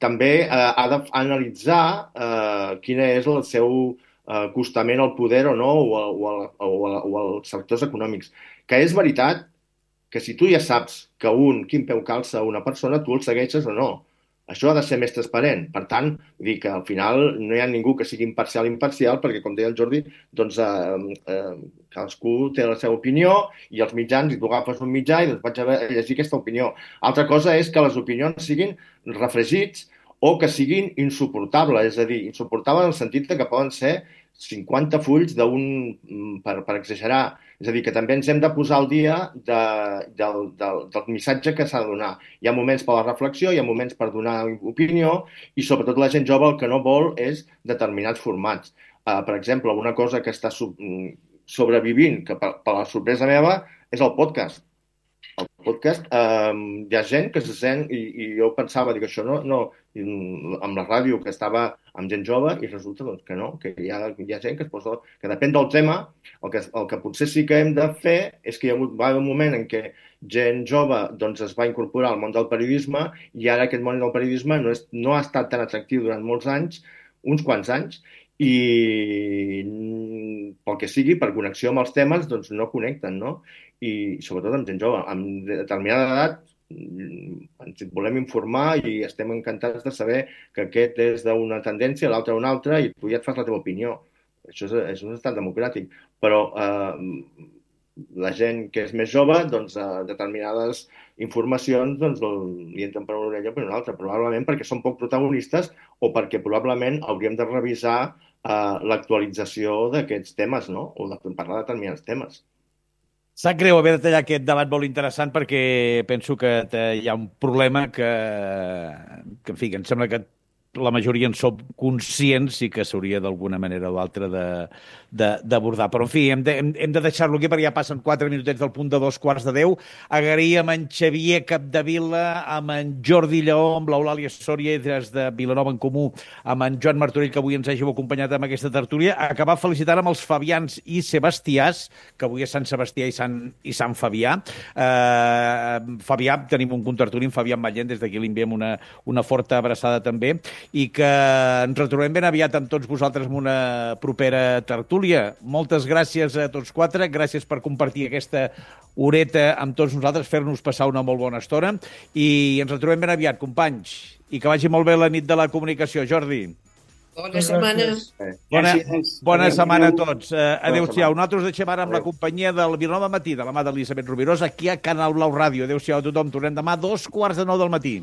també eh, ha d'analitzar eh, quin és el seu eh, acostament al poder o no, o, a, o, a, o, a, o als sectors econòmics. Que és veritat que si tu ja saps que un, quin peu calça una persona, tu el segueixes o no. Això ha de ser més transparent. Per tant, dir que al final no hi ha ningú que sigui imparcial imparcial, perquè, com deia el Jordi, doncs, eh, eh, cadascú té la seva opinió i els mitjans, i tu agafes un mitjà i doncs vaig a llegir aquesta opinió. Altra cosa és que les opinions siguin refregits o que siguin insuportables, és a dir, insuportables en el sentit que poden ser cinquanta fulls d'un, per, per exagerar. És a dir, que també ens hem de posar al dia de, del, del, del missatge que s'ha de donar. Hi ha moments per la reflexió, hi ha moments per donar opinió i sobretot la gent jove el que no vol és determinats formats. Uh, per exemple, una cosa que està sub, sobrevivint, que per, per la sorpresa meva, és el podcast. El podcast, eh, hi ha gent que se sent, i, i jo pensava, dic, això no, no, amb la ràdio que estava amb gent jove, i resulta doncs, que no, que hi ha, hi ha gent que es posa, que depèn del tema, el que, el que potser sí que hem de fer és que hi ha hagut, va haver un moment en què gent jove doncs, es va incorporar al món del periodisme i ara aquest món del periodisme no, és, no ha estat tan atractiu durant molts anys, uns quants anys, i pel que sigui, per connexió amb els temes, doncs no connecten, no? I sobretot amb gent jove. Amb determinada edat ens volem informar i estem encantats de saber que aquest és d'una tendència, l'altre una altra, i tu ja et fas la teva opinió. Això és, és un estat democràtic. Però eh, la gent que és més jove, doncs, eh, determinades informacions doncs, li entren per una orella o per una altra, probablement perquè són poc protagonistes o perquè probablement hauríem de revisar eh, l'actualització d'aquests temes, no? O de parlar de determinats temes. Sap greu haver de tallar aquest debat molt interessant perquè penso que hi ha un problema que, que en fi, que em sembla que la majoria en som conscients i que s'hauria d'alguna manera o altra d'abordar. Però, en fi, hem de, hem, hem de deixar-lo aquí perquè ja passen quatre minutets del punt de dos quarts de deu. Agrair amb en Xavier Capdevila, amb en Jordi Lleó, amb l'Eulàlia Sòria des de Vilanova en Comú, amb en Joan Martorell, que avui ens hàgiu acompanyat amb aquesta tertúlia. Acabar felicitant amb els Fabians i Sebastiàs, que avui és Sant Sebastià i Sant, i Sant Fabià. Uh, Fabià, tenim un contertuli amb Fabià Mallent, des d'aquí li enviem una, una forta abraçada també. i que ens retrobem ben aviat amb tots vosaltres en una propera tertúlia. Moltes gràcies a tots quatre, gràcies per compartir aquesta horeta amb tots nosaltres, fer-nos passar una molt bona estona i ens retrobem ben aviat, companys, i que vagi molt bé la nit de la comunicació. Jordi. Bona setmana. Bona, bona Adéu. setmana a tots. Uh, Adéu-siau. setmana. Nosaltres deixem ara amb la Adéu. companyia del Vilanova Matí, de la mà d'Elisabet Rovirós, aquí a Canal Blau Ràdio. Adéu-siau a tothom. Tornem demà a dos quarts de nou del matí.